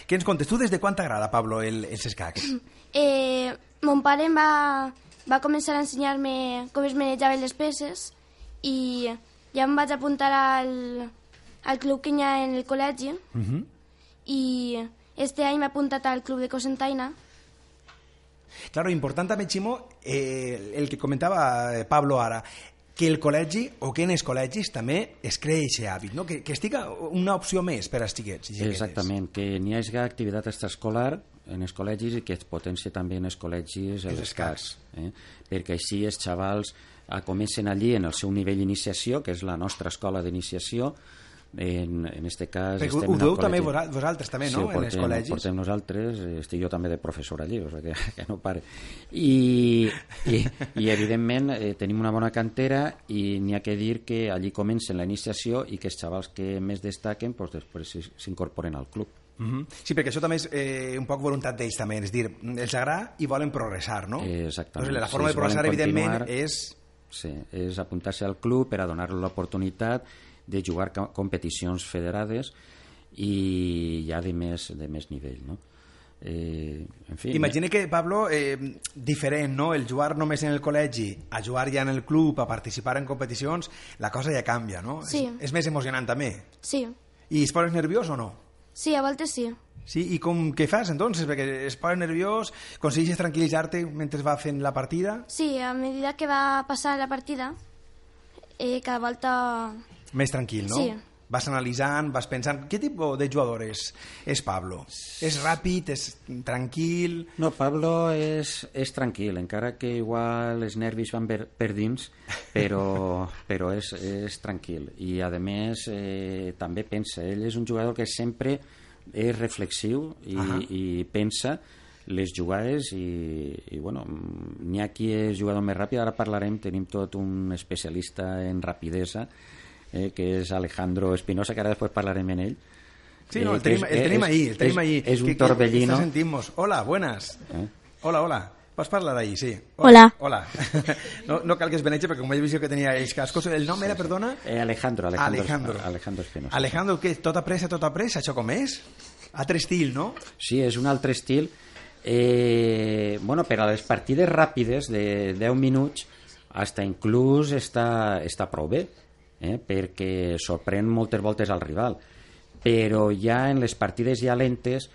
Què ens contes? Tu des de quan t'agrada, Pablo, el, els escacs? Eh, mon pare em va, va començar a ensenyar-me com es manejaven les peces i ja em vaig apuntar al, al club que hi ha en el col·legi Uh -huh. i este any m'he apuntat al club de Cosentaina. Claro, important també, Ximo, eh, el que comentava Pablo ara, que el col·legi o que en els col·legis també es crea aquest hàbit, no? que, que estiga una opció més per als xiquets. i xiquetes. Exactament, que n'hi hagi activitat extraescolar en els col·legis i que es potencia també en els col·legis els escacs, eh? perquè així els xavals eh, comencen allí en el seu nivell d'iniciació, que és la nostra escola d'iniciació. En, en este cas Perquè estem ho en el dueu col·legi. també vos- vosaltres també, Sí, no? ho En els portem, col·legis. ho portem nosaltres, eh, estic jo també de professor allí, o sigui que, que no pare. I, i, i evidentment eh, tenim una bona cantera i n'hi ha que dir que allí comencen la iniciació i que els xavals que més destaquen pues, després s'hi- s'incorporen al club. Uh -huh. Sí, perquè això també és eh, un poc voluntat d'ells també, és dir, els agrada i volen progressar, no? Eh, exactament. Doncs la Sí, forma si de progressar, volen evidentment, continuar- és... Sí, és apuntar-se al club per a donar-li l'oportunitat de jugar co- competicions federades i ja de més, de més nivell, no? Eh, en fi, Imagina que, Pablo, eh, diferent, no? El jugar només en el col·legi a jugar ja en el club, a participar en competicions, la cosa ja canvia, no? Sí. És, és més emocionant també. Sí, I es poses nerviós o no? sí, a voltes sí. Sí, i com què fas, entonces? Perquè es poses nerviós, aconsegueixes tranquil·litzar-te mentre va fent la partida? Sí, a medida que va passant la partida, eh, cada volta... Més tranquil, no? Sí. Vas analitzant, vas pensant... Què tipus de jugador és, és Pablo? És ràpid, és tranquil... No, Pablo és, és tranquil, encara que igual els nervis van per, per dins, però, però és, és tranquil. I, a més, eh, també pensa. Ell és un jugador que sempre és reflexiu i, Ahà. i pensa les jugades i, i bueno, n'hi ha qui és jugador més ràpid. Ara parlarem, tenim tot un especialista en rapidesa, eh, que és Alejandro Espinosa, que ara després parlarem en ell. Sí, no, el Eh, que tenim, és- el tenim és- ahí, el tenim és- ahí. És un Que- que torbellino. Está sentimos. Hola, buenas. Eh? Hola, hola. Pots parlar ahí, sí. Hola. Hola. No, no cal que es beneixi, perquè com he vist que tenia els cascos. El nom era, perdona? Eh, Alejandro, Alejandro, Alejandro. Alejandro Espinosa. Alejandro, què? Tota pressa, tota pressa? Això com és? Altre estil, no? Sí, és un altre estil. Eh, bueno, per a les partides ràpides de deu minuts hasta inclús està, està prou bé, eh, perquè sorprèn moltes voltes al rival. Però ja en les partides ja lentes,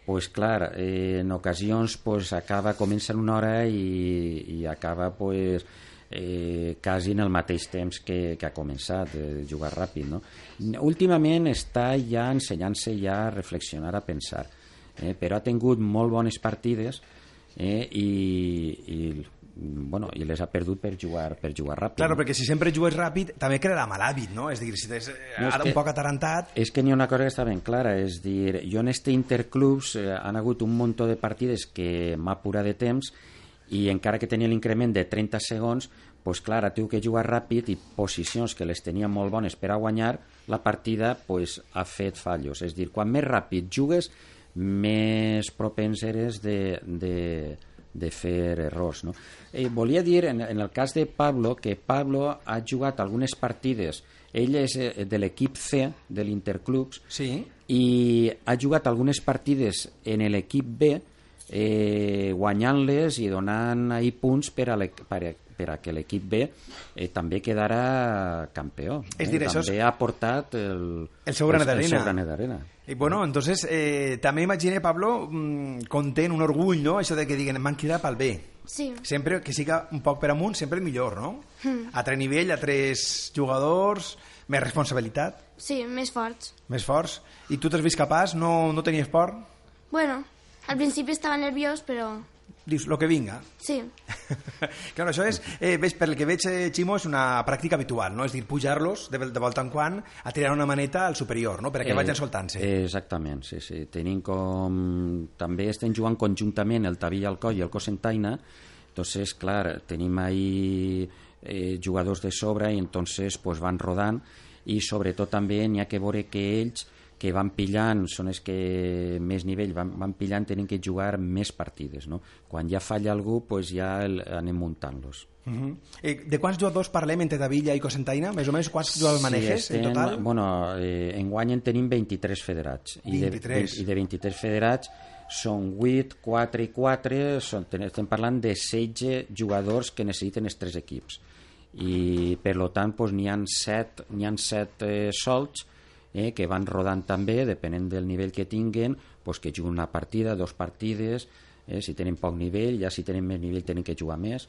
pues clar, eh, en ocasions pues, acaba, comença en una hora i, i acaba pues, eh, quasi en el mateix temps que, que ha començat, de jugar ràpid, no? Últimament està ja ensenyant-se ja a reflexionar, a pensar, eh, però ha tingut molt bones partides eh, i, i, bueno, i les ha perdut per jugar, per jugar ràpid. Claro, no? perquè si sempre jugues ràpid, també crearà mal hàbit, no? És a dir, si t'és No, és ara que- un poc atarantat... És que n'hi ha una cosa que està ben clara, és dir, jo en este interclubs eh, han hagut un munt de partides que m'ha apurat de temps i encara que tenia l'increment de trenta segons, pues clar, ara tinc que jugar ràpid i posicions que les tenia molt bones per a guanyar, la partida pues, ha fet fallos. És dir, quan més ràpid jugues, més propens eres de, de, de fer errors. No? Eh, volia dir, en, en el cas de Pablo, que Pablo ha jugat algunes partides. Ell és eh, de l'equip C de l'Interclubs, Sí. i ha jugat algunes partides en l'equip B, eh, guanyant-les i donant ahí punts per a, per a, per a que l'equip B eh, també quedara campió. Eh? És dir, això també és... ha portat el, el seu granet d'arena. El seu granet d'arena. I bueno, entonces, eh, també imagine, Pablo, mmm, content, un orgull, no?, això de que diguen, m'han cridat pel B. Sí. Sempre que siga un poc per amunt, sempre el millor, no? Mm. A tres nivell, a tres jugadors, més responsabilitat. Sí, més forts. Més forts. I tu t'has vist capaç? No, no tenies por? Bueno, al principi estava nerviós, però... Dius, lo que vinga. Sí. Claro, això és, eh, veig, per el que veig, eh, Ximo, és una pràctica habitual, no? És dir, pujar-los de, de volta en quan a tirar una maneta al superior, no? Perquè eh, vagin soltant-se. Eh, exactament, sí, sí. Tenim com... També estem jugant conjuntament el Taví Alcoi i el Cocentaina, entonces, clar, tenim ahí eh, jugadors de sobre i entonces pues, van rodant i sobretot també n'hi ha que veure que ells que van pillant, són els que més nivell van, van pillant, tenen que jugar més partides, no? Quan ja falla algú, pues ja el, anem muntant-los. Uh -huh. eh, de quants jugadors parlem entre Tavilla i Cocentaina? Més o menys quants jugadors maneges sí, estem, en total? Bueno, eh, enguany en tenim vint-i-tres federats. vint-i-tres. I de, i de vint-i-tres federats són vuit, quatre i quatre, són, estem parlant de setze jugadors que necessiten els tres equips. I per lo tant pues, n'hi ha set, n'hi ha set eh, solts eh, que van rodant també, depenent del nivell que tinguen, pues, que juguen una partida, dos partides, eh, si tenen poc nivell, ja si tenen més nivell tenen que jugar més.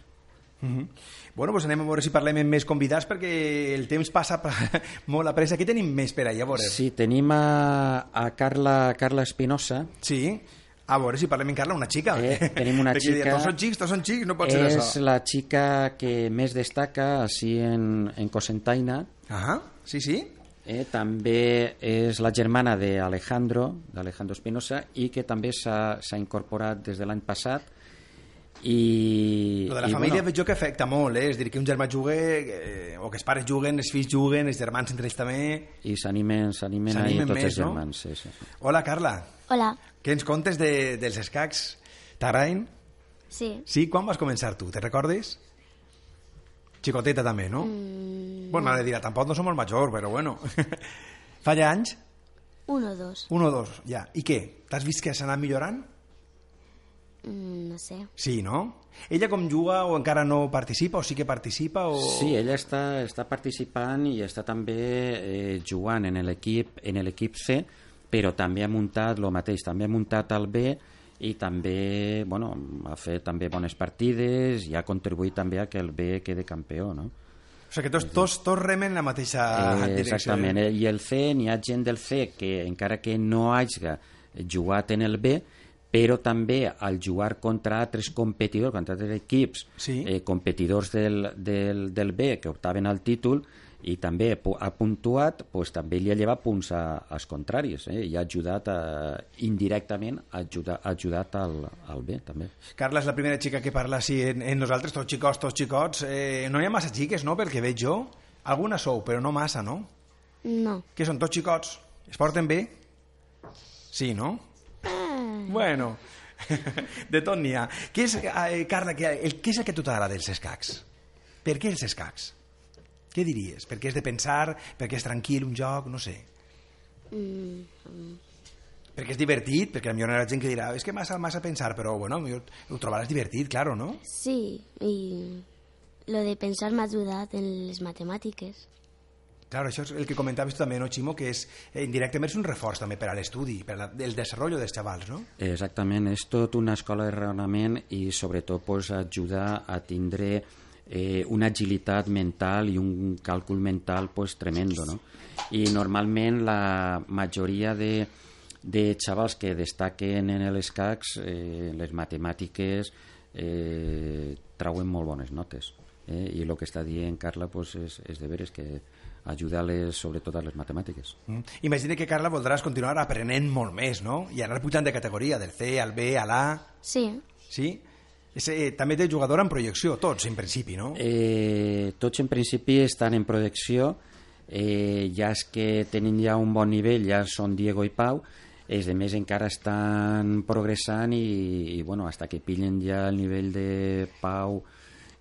Uh -huh. Bueno, pues anem a veure si parlem amb més convidats perquè el temps passa molt a pressa. Aquí tenim més per allà, a veure. Sí, tenim a, a Carla, Carla Espinosa. Sí, a veure si parlem amb Carla, una xica. Eh, tenim una xica... Dir, tots són xics, tots són xics, no pot ser és això. És la xica que més destaca així en, en Cocentaina. Ah, sí, sí. Eh, també és la germana d'Alejandro, d'Alejandro Espinosa, i que també s'ha incorporat des de l'any passat. I, lo de la i, família bueno, veig jo que afecta molt, eh? És dir, que un germà jugui, eh, o que els pares juguen, els fills juguen, els germans entre ells també. I s'animen s'animen ahí tots més, els germans. No? Sí, sí. Hola, Carla. Hola. Què ens contes de, dels escacs? T'agraden? Sí. Sí? Quan vas començar tu? Te recordes? Xicoteta també, no? Mm, bueno, m'ha de dir, tampoc no som molt major, però bueno. Fa ja anys? Un o dos. Un o dos, ja. I què? T'has vist que s'ha anat millorant? Mm, no sé. Sí, no? Ella com juga o encara no participa o sí que participa? O... Sí, ella està, està participant i està també eh, jugant en l'equip en l'equip C, però també ha muntat el mateix, també ha muntat el B i també, bueno, ha fet també bones partides i ha contribuït també a que el B quede campió, no? O sigui que tots, tots, tots remen la mateixa eh, direcció. Exactament, eh? I el C, n'hi ha gent del C que encara que no hagi jugat en el B, però també al jugar contra altres competidors, contra altres equips, sí. eh, competidors del, del, del B que optaven al títol i també ha puntuat, pues, també li ha llevat punts a, als contraris eh, i ha ajudat a, indirectament ha ajudat, ha ajudat al, al B també. Carla és la primera xica que parla així en, en nosaltres, tots xicots, tots xicots. Eh, no hi ha massa xiques, no?, pel que veig jo. Algunes sou, però no massa, no? No. Què són, tots xicots? Es porten bé? Sí, no? Bueno, de tot n'hi ha. Què és, eh, Carla, què, el, què és el que a tu t'agrada dels escacs? Per què els escacs? Què diries? Perquè és de pensar, perquè és tranquil un joc, no sé. Mm, mm. Perquè és divertit, perquè potser hi haurà gent que dirà és que massa, massa pensar, però bueno, ho trobaràs divertit, claro, no? Sí, i lo de pensar m'ha ajudat en les matemàtiques. Claro, això és el que comentaves tu també, no, Ximo? Que és, eh, indirectament és un reforç també per a l'estudi, per al desenvolupament dels xavals, no? Exactament, és tot una escola de raonament i sobretot pues, ajuda a tindre eh, una agilitat mental i un càlcul mental pues, tremendo, no? I normalment la majoria de, de xavals que destaquen en els escacs, eh, les matemàtiques, eh, trauen molt bones notes. Eh? I el que està dient Carla pues, és, és de veres que ajuda-les sobretot a les matemàtiques. Mm. Imagina que, Carla, voldràs continuar aprenent molt més, no? I anar pujant de categoria, del C al B, a l'A... Sí. Sí? És, eh, també té jugador en projecció, tots, en principi, no? Eh, tots, en principi, estan en projecció. Eh, ja és que tenen ja un bon nivell, ja són Diego i Pau, els de més encara estan progressant i, i bueno, hasta que pillen ja el nivell de Pau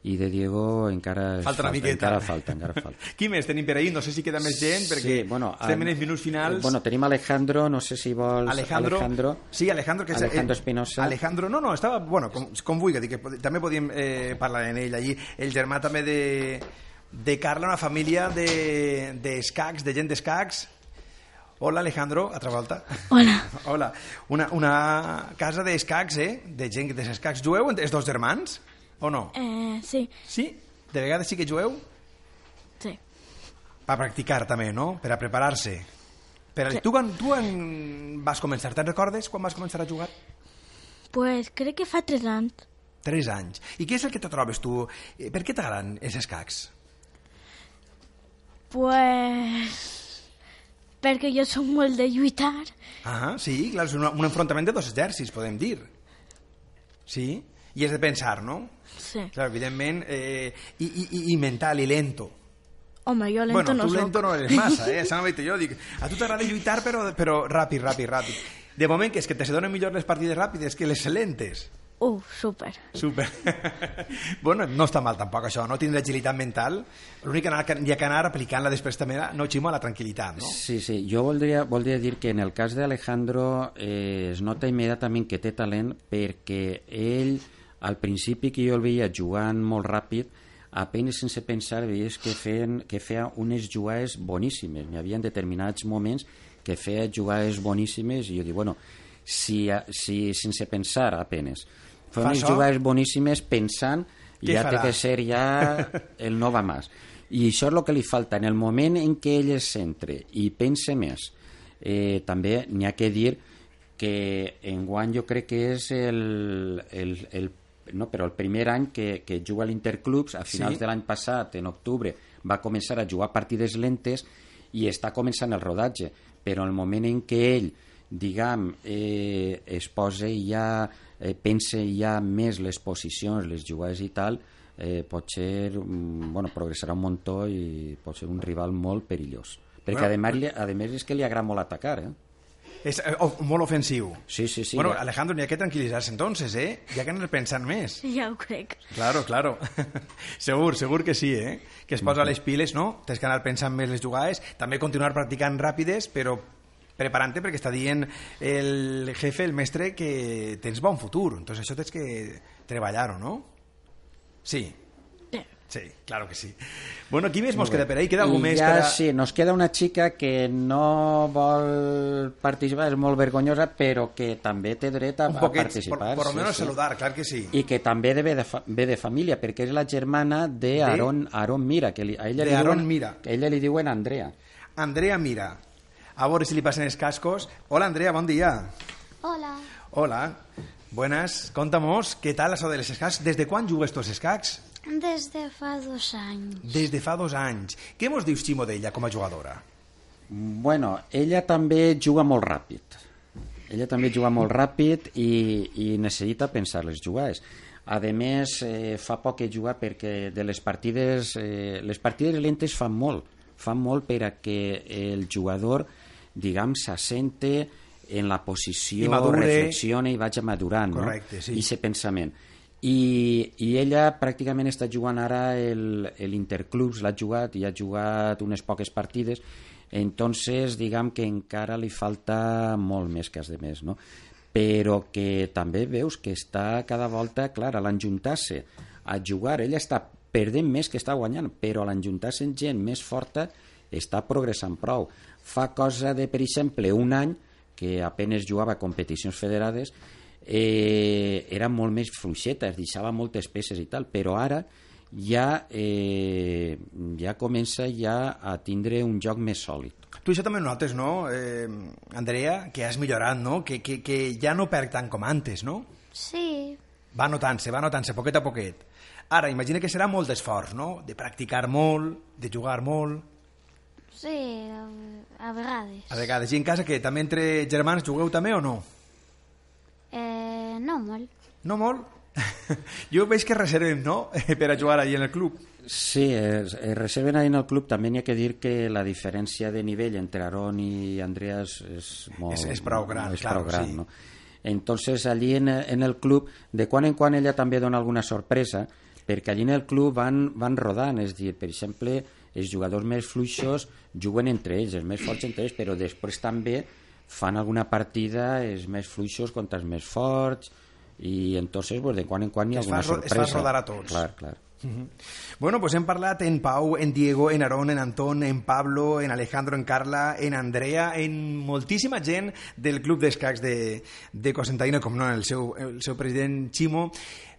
i de Diego encara falta una falta, miqueta. encara falta, encara falta. Qui més tenim per ahir? No sé si queda més gent, perquè Sí, bueno, estem en a- els minuts finals. Bueno, tenim Alejandro, no sé si vols... Alejandro, Alejandro. sí, Alejandro, que és, Alejandro eh, Espinosa. Alejandro, no, no, estava, bueno, com, com vulgui, dir que pod- també podíem eh, parlar en ell allí. El germà també de, de Carla, una família de, de escacs, de gent d'escacs. Hola, Alejandro, altra volta. Hola. Hola. Una, una casa d'escacs, eh? De gent d'escacs. Jueu els dos germans? O no? Eh, sí, Sí? De vegades sí que jueu? sí. Per practicar també, no? Per a preparar-se. Per a... Sí. Tu, quan, tu en vas començar? Te'n recordes quan vas començar a jugar? Pues crec que fa tres anys. Tres anys. I què és el que te trobes tu? Eh, Per què t'agraden els escacs? Pues... perquè jo soc molt de lluitar. Ah, sí, clar, és un, un enfrontament de dos exèrcits, podem dir. Sí? I és de pensar, no? Sí. Clar, evidentment, eh, i, i, i mental, i lento. Home, jo lento bueno, no tu soc. lento no eres massa, eh? Això m'ho dit jo, dic, a tu t'agrada lluitar, però, però ràpid, ràpid, ràpid. De moment, que és que te se donen millor les partides ràpides que les lentes. Uh, super. Super. Bueno, no està mal tampoc això, no? Tindre agilitat mental. L'únic que hi ha que anar aplicant-la després també, no, Ximo, a la tranquil·litat, no? Sí, sí, jo voldria, voldria dir que en el cas d'Alejandro eh, es nota immediatament que té talent perquè ell, al principi que jo el veia jugant molt ràpid, apenas sense pensar veies que, feien, que feia unes jugades boníssimes. Hi havia determinats moments que feia jugades boníssimes i jo dic, bueno, si, si sense pensar apenas fa Fa unes això? jugades boníssimes pensant Què ja farà? té que ser ja el no va més. I això és el que li falta. En el moment en què ell es centre i pense més, eh, també n'hi ha que dir que enguany jo crec que és el, el, el, no, però el primer any que, que juga a l'Interclubs, a finals Sí. de l'any passat, en octubre, va començar a jugar partides lentes i està començant el rodatge. Però en el moment en què ell, diguem, eh, es posa ja, eh, pense ja més les posicions, les jugades i tal, eh, pot ser, mm, bueno, progressarà un muntó i pot ser un rival molt perillós. Perquè Bueno, a més, li, a més és que li agrada molt atacar, eh? És eh, oh, molt ofensiu. Sí, sí, sí. Bueno, ja. Alejandro, n'hi ha que tranquil·litzar-se entonces, eh? Hi ha que anar pensant més. Ja ho crec. Claro, claro. segur, segur que sí, eh? Que es posa les piles, no? Tens que anar pensant més les jugades, també continuar practicant ràpides, però preparant-te perquè està dient el jefe, el mestre, que tens bon futur. Entonces això tens que treballar-ho, no? Sí. Sí. Sí, claro que sí. Bueno, qui més mos queda per ahí? Queda algú I més ja, per a... sí, nos queda una xica que no vol participar, és molt vergonyosa, però que també té dret a, un a poquet, por, participar. por lo sí, menos sí. saludar, clar que sí. I que també ve de, fa, ve de família, perquè és la germana de Aaron, Aaron Mira, que li, a ella De li Aaron diuen, Mira. que a ella li diuen Andrea. Andrea Mira. A veure si li passen els cascos. Hola, Andrea, bon dia. Hola. Hola. Buenas. Contamos, ¿qué tal eso de los escacs? ¿Desde quan jugues tu als escacs? Des de fa dos anys. Des de fa dos anys. Què mos dius, Ximo, d'ella com a jugadora? Bueno, ella també juga molt ràpid. Ella també juga molt ràpid i, i necessita pensar les jugades. A més, eh, fa poc que juga perquè de les partides... Eh, les partides lentes fan molt. Fan molt per a que el jugador, diguem, s'assente en la posició, I madure. reflexione i vagi madurant, Correcte, no? sí. I ese pensament. I, i ella pràcticament està jugant ara l'Interclubs, l'ha jugat i ha jugat unes poques partides, entonces diguem que encara li falta molt més que has de més, no? Però que també veus que està cada volta, clar, a l'enjuntar-se a jugar, ella està perdent més que està guanyant, però a l'enjuntar-se amb gent més forta està progressant prou. Fa cosa de, per exemple, un any que apenas jugava a competicions federades, eh, era molt més fluixeta, es deixava moltes peces i tal, però ara ja, eh, ja comença ja a tindre un joc més sòlid. Tu això també ho notes, no, eh, Andrea? Que has millorat, no? Que, que, que ja no perd tant com antes, no? Sí. Va notant-se, va notant-se, poquet a poquet. Ara, imagina que serà molt d'esforç, no? De practicar molt, de jugar molt... Sí, a, a vegades. A vegades. I en casa, que també entre germans jugueu també o no? Eh, no molt. No molt? Jo veig que reservem, no?, per a jugar allà en el club. Sí, es, es reserven ahí en el club. També n'hi ha que dir que la diferència de nivell entre Aaron i Andreas és molt... És, és prou gran, és claro, prou gran, sí. no? Entonces, allí en, en el club, de quan en quan ella també dona alguna sorpresa, perquè allí en el club van, van rodant, és dir, per exemple, els jugadors més fluixos juguen entre ells, els més forts entre ells, però després també fan alguna partida els més fluixos contra els més forts, i entonces pues, de quan en quan hi ha alguna sorpresa. Es fa rodar a tots. Clar, clar. Uh-huh. Bueno, pues hem parlat en Pau, en Diego, en Aarón, en Antón, en Pablo, en Alejandro, en Carla, en Andrea, en moltíssima gent del Club d'Escacs de, de Cocentaina, com no, el seu, el seu president Ximo.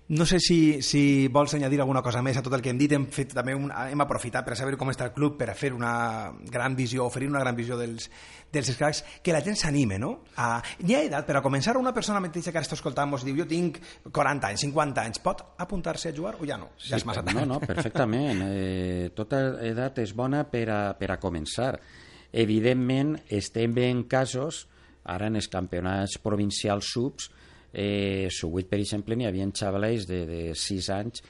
No sé si, si vols añadir alguna cosa més a tot el que hem dit. Hem, fet, també un, hem aprofitat per saber com està el club, per a fer una gran visió, oferir una gran visió dels, dels escacs, que la gent s'anime, no? A, hi ha edat per a començar. Una persona mateixa que ara està escoltant mos diu jo tinc quaranta anys, cinquanta anys, pot apuntar-se a jugar o ja no? Ja sí, és massa tard. No, no, perfectament. Eh, tota edat és bona per a, per a començar. Evidentment, estem veient casos, ara en els campionats provincials subs, Eh, Subuit, per exemple, n'hi havia xavalets de, de sis anys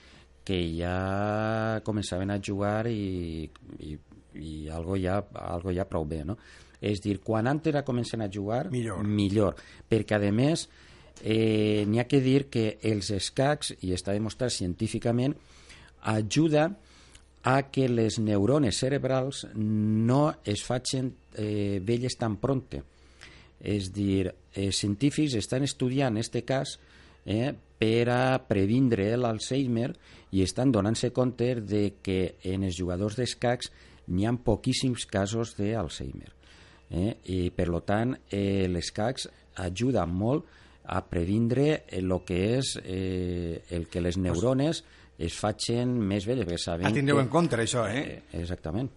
que ja començaven a jugar i, i, i algo, ja, algo ja prou bé, no? És dir, quan antes comencen a jugar, millor, millor perquè a més eh, n'hi ha que dir que els escacs, i està demostrat científicament, ajuda a que les neurones cerebrals no es facin eh, velles tan pronte. És dir, els científics estan estudiant aquest cas eh, per a previndre l'Alzheimer i estan donant-se compte de que en els jugadors d'escacs n'hi ha poquíssims casos d'Alzheimer. Eh? I, per tant, eh, l'escacs ajuda molt a previndre el que és eh, el que les neurones es facin més velles. A tindreu en compte, això, eh? eh exactament.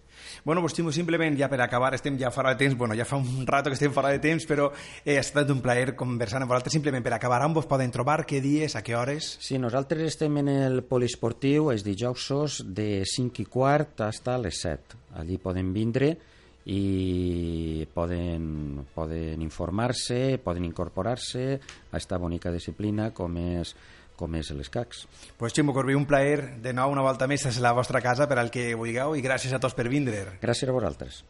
Bueno, pues simplement ja per acabar, estem ja fora de temps, bueno, ja fa un rato que estem fora de temps, però eh, ha estat un plaer conversar amb vosaltres. Simplement per acabar, on vos poden trobar, què dies, a què hores? Sí, nosaltres estem en el poliesportiu els dijous de cinc i quart fins a les set. Allí poden vindre i poden, poden informar-se, poden incorporar-se a aquesta bonica disciplina com és com és l'escacs. Pues Ximo Corbí, un plaer de nou una volta més a la vostra casa per al que vulgueu i gràcies a tots per vindre. Gràcies a vosaltres.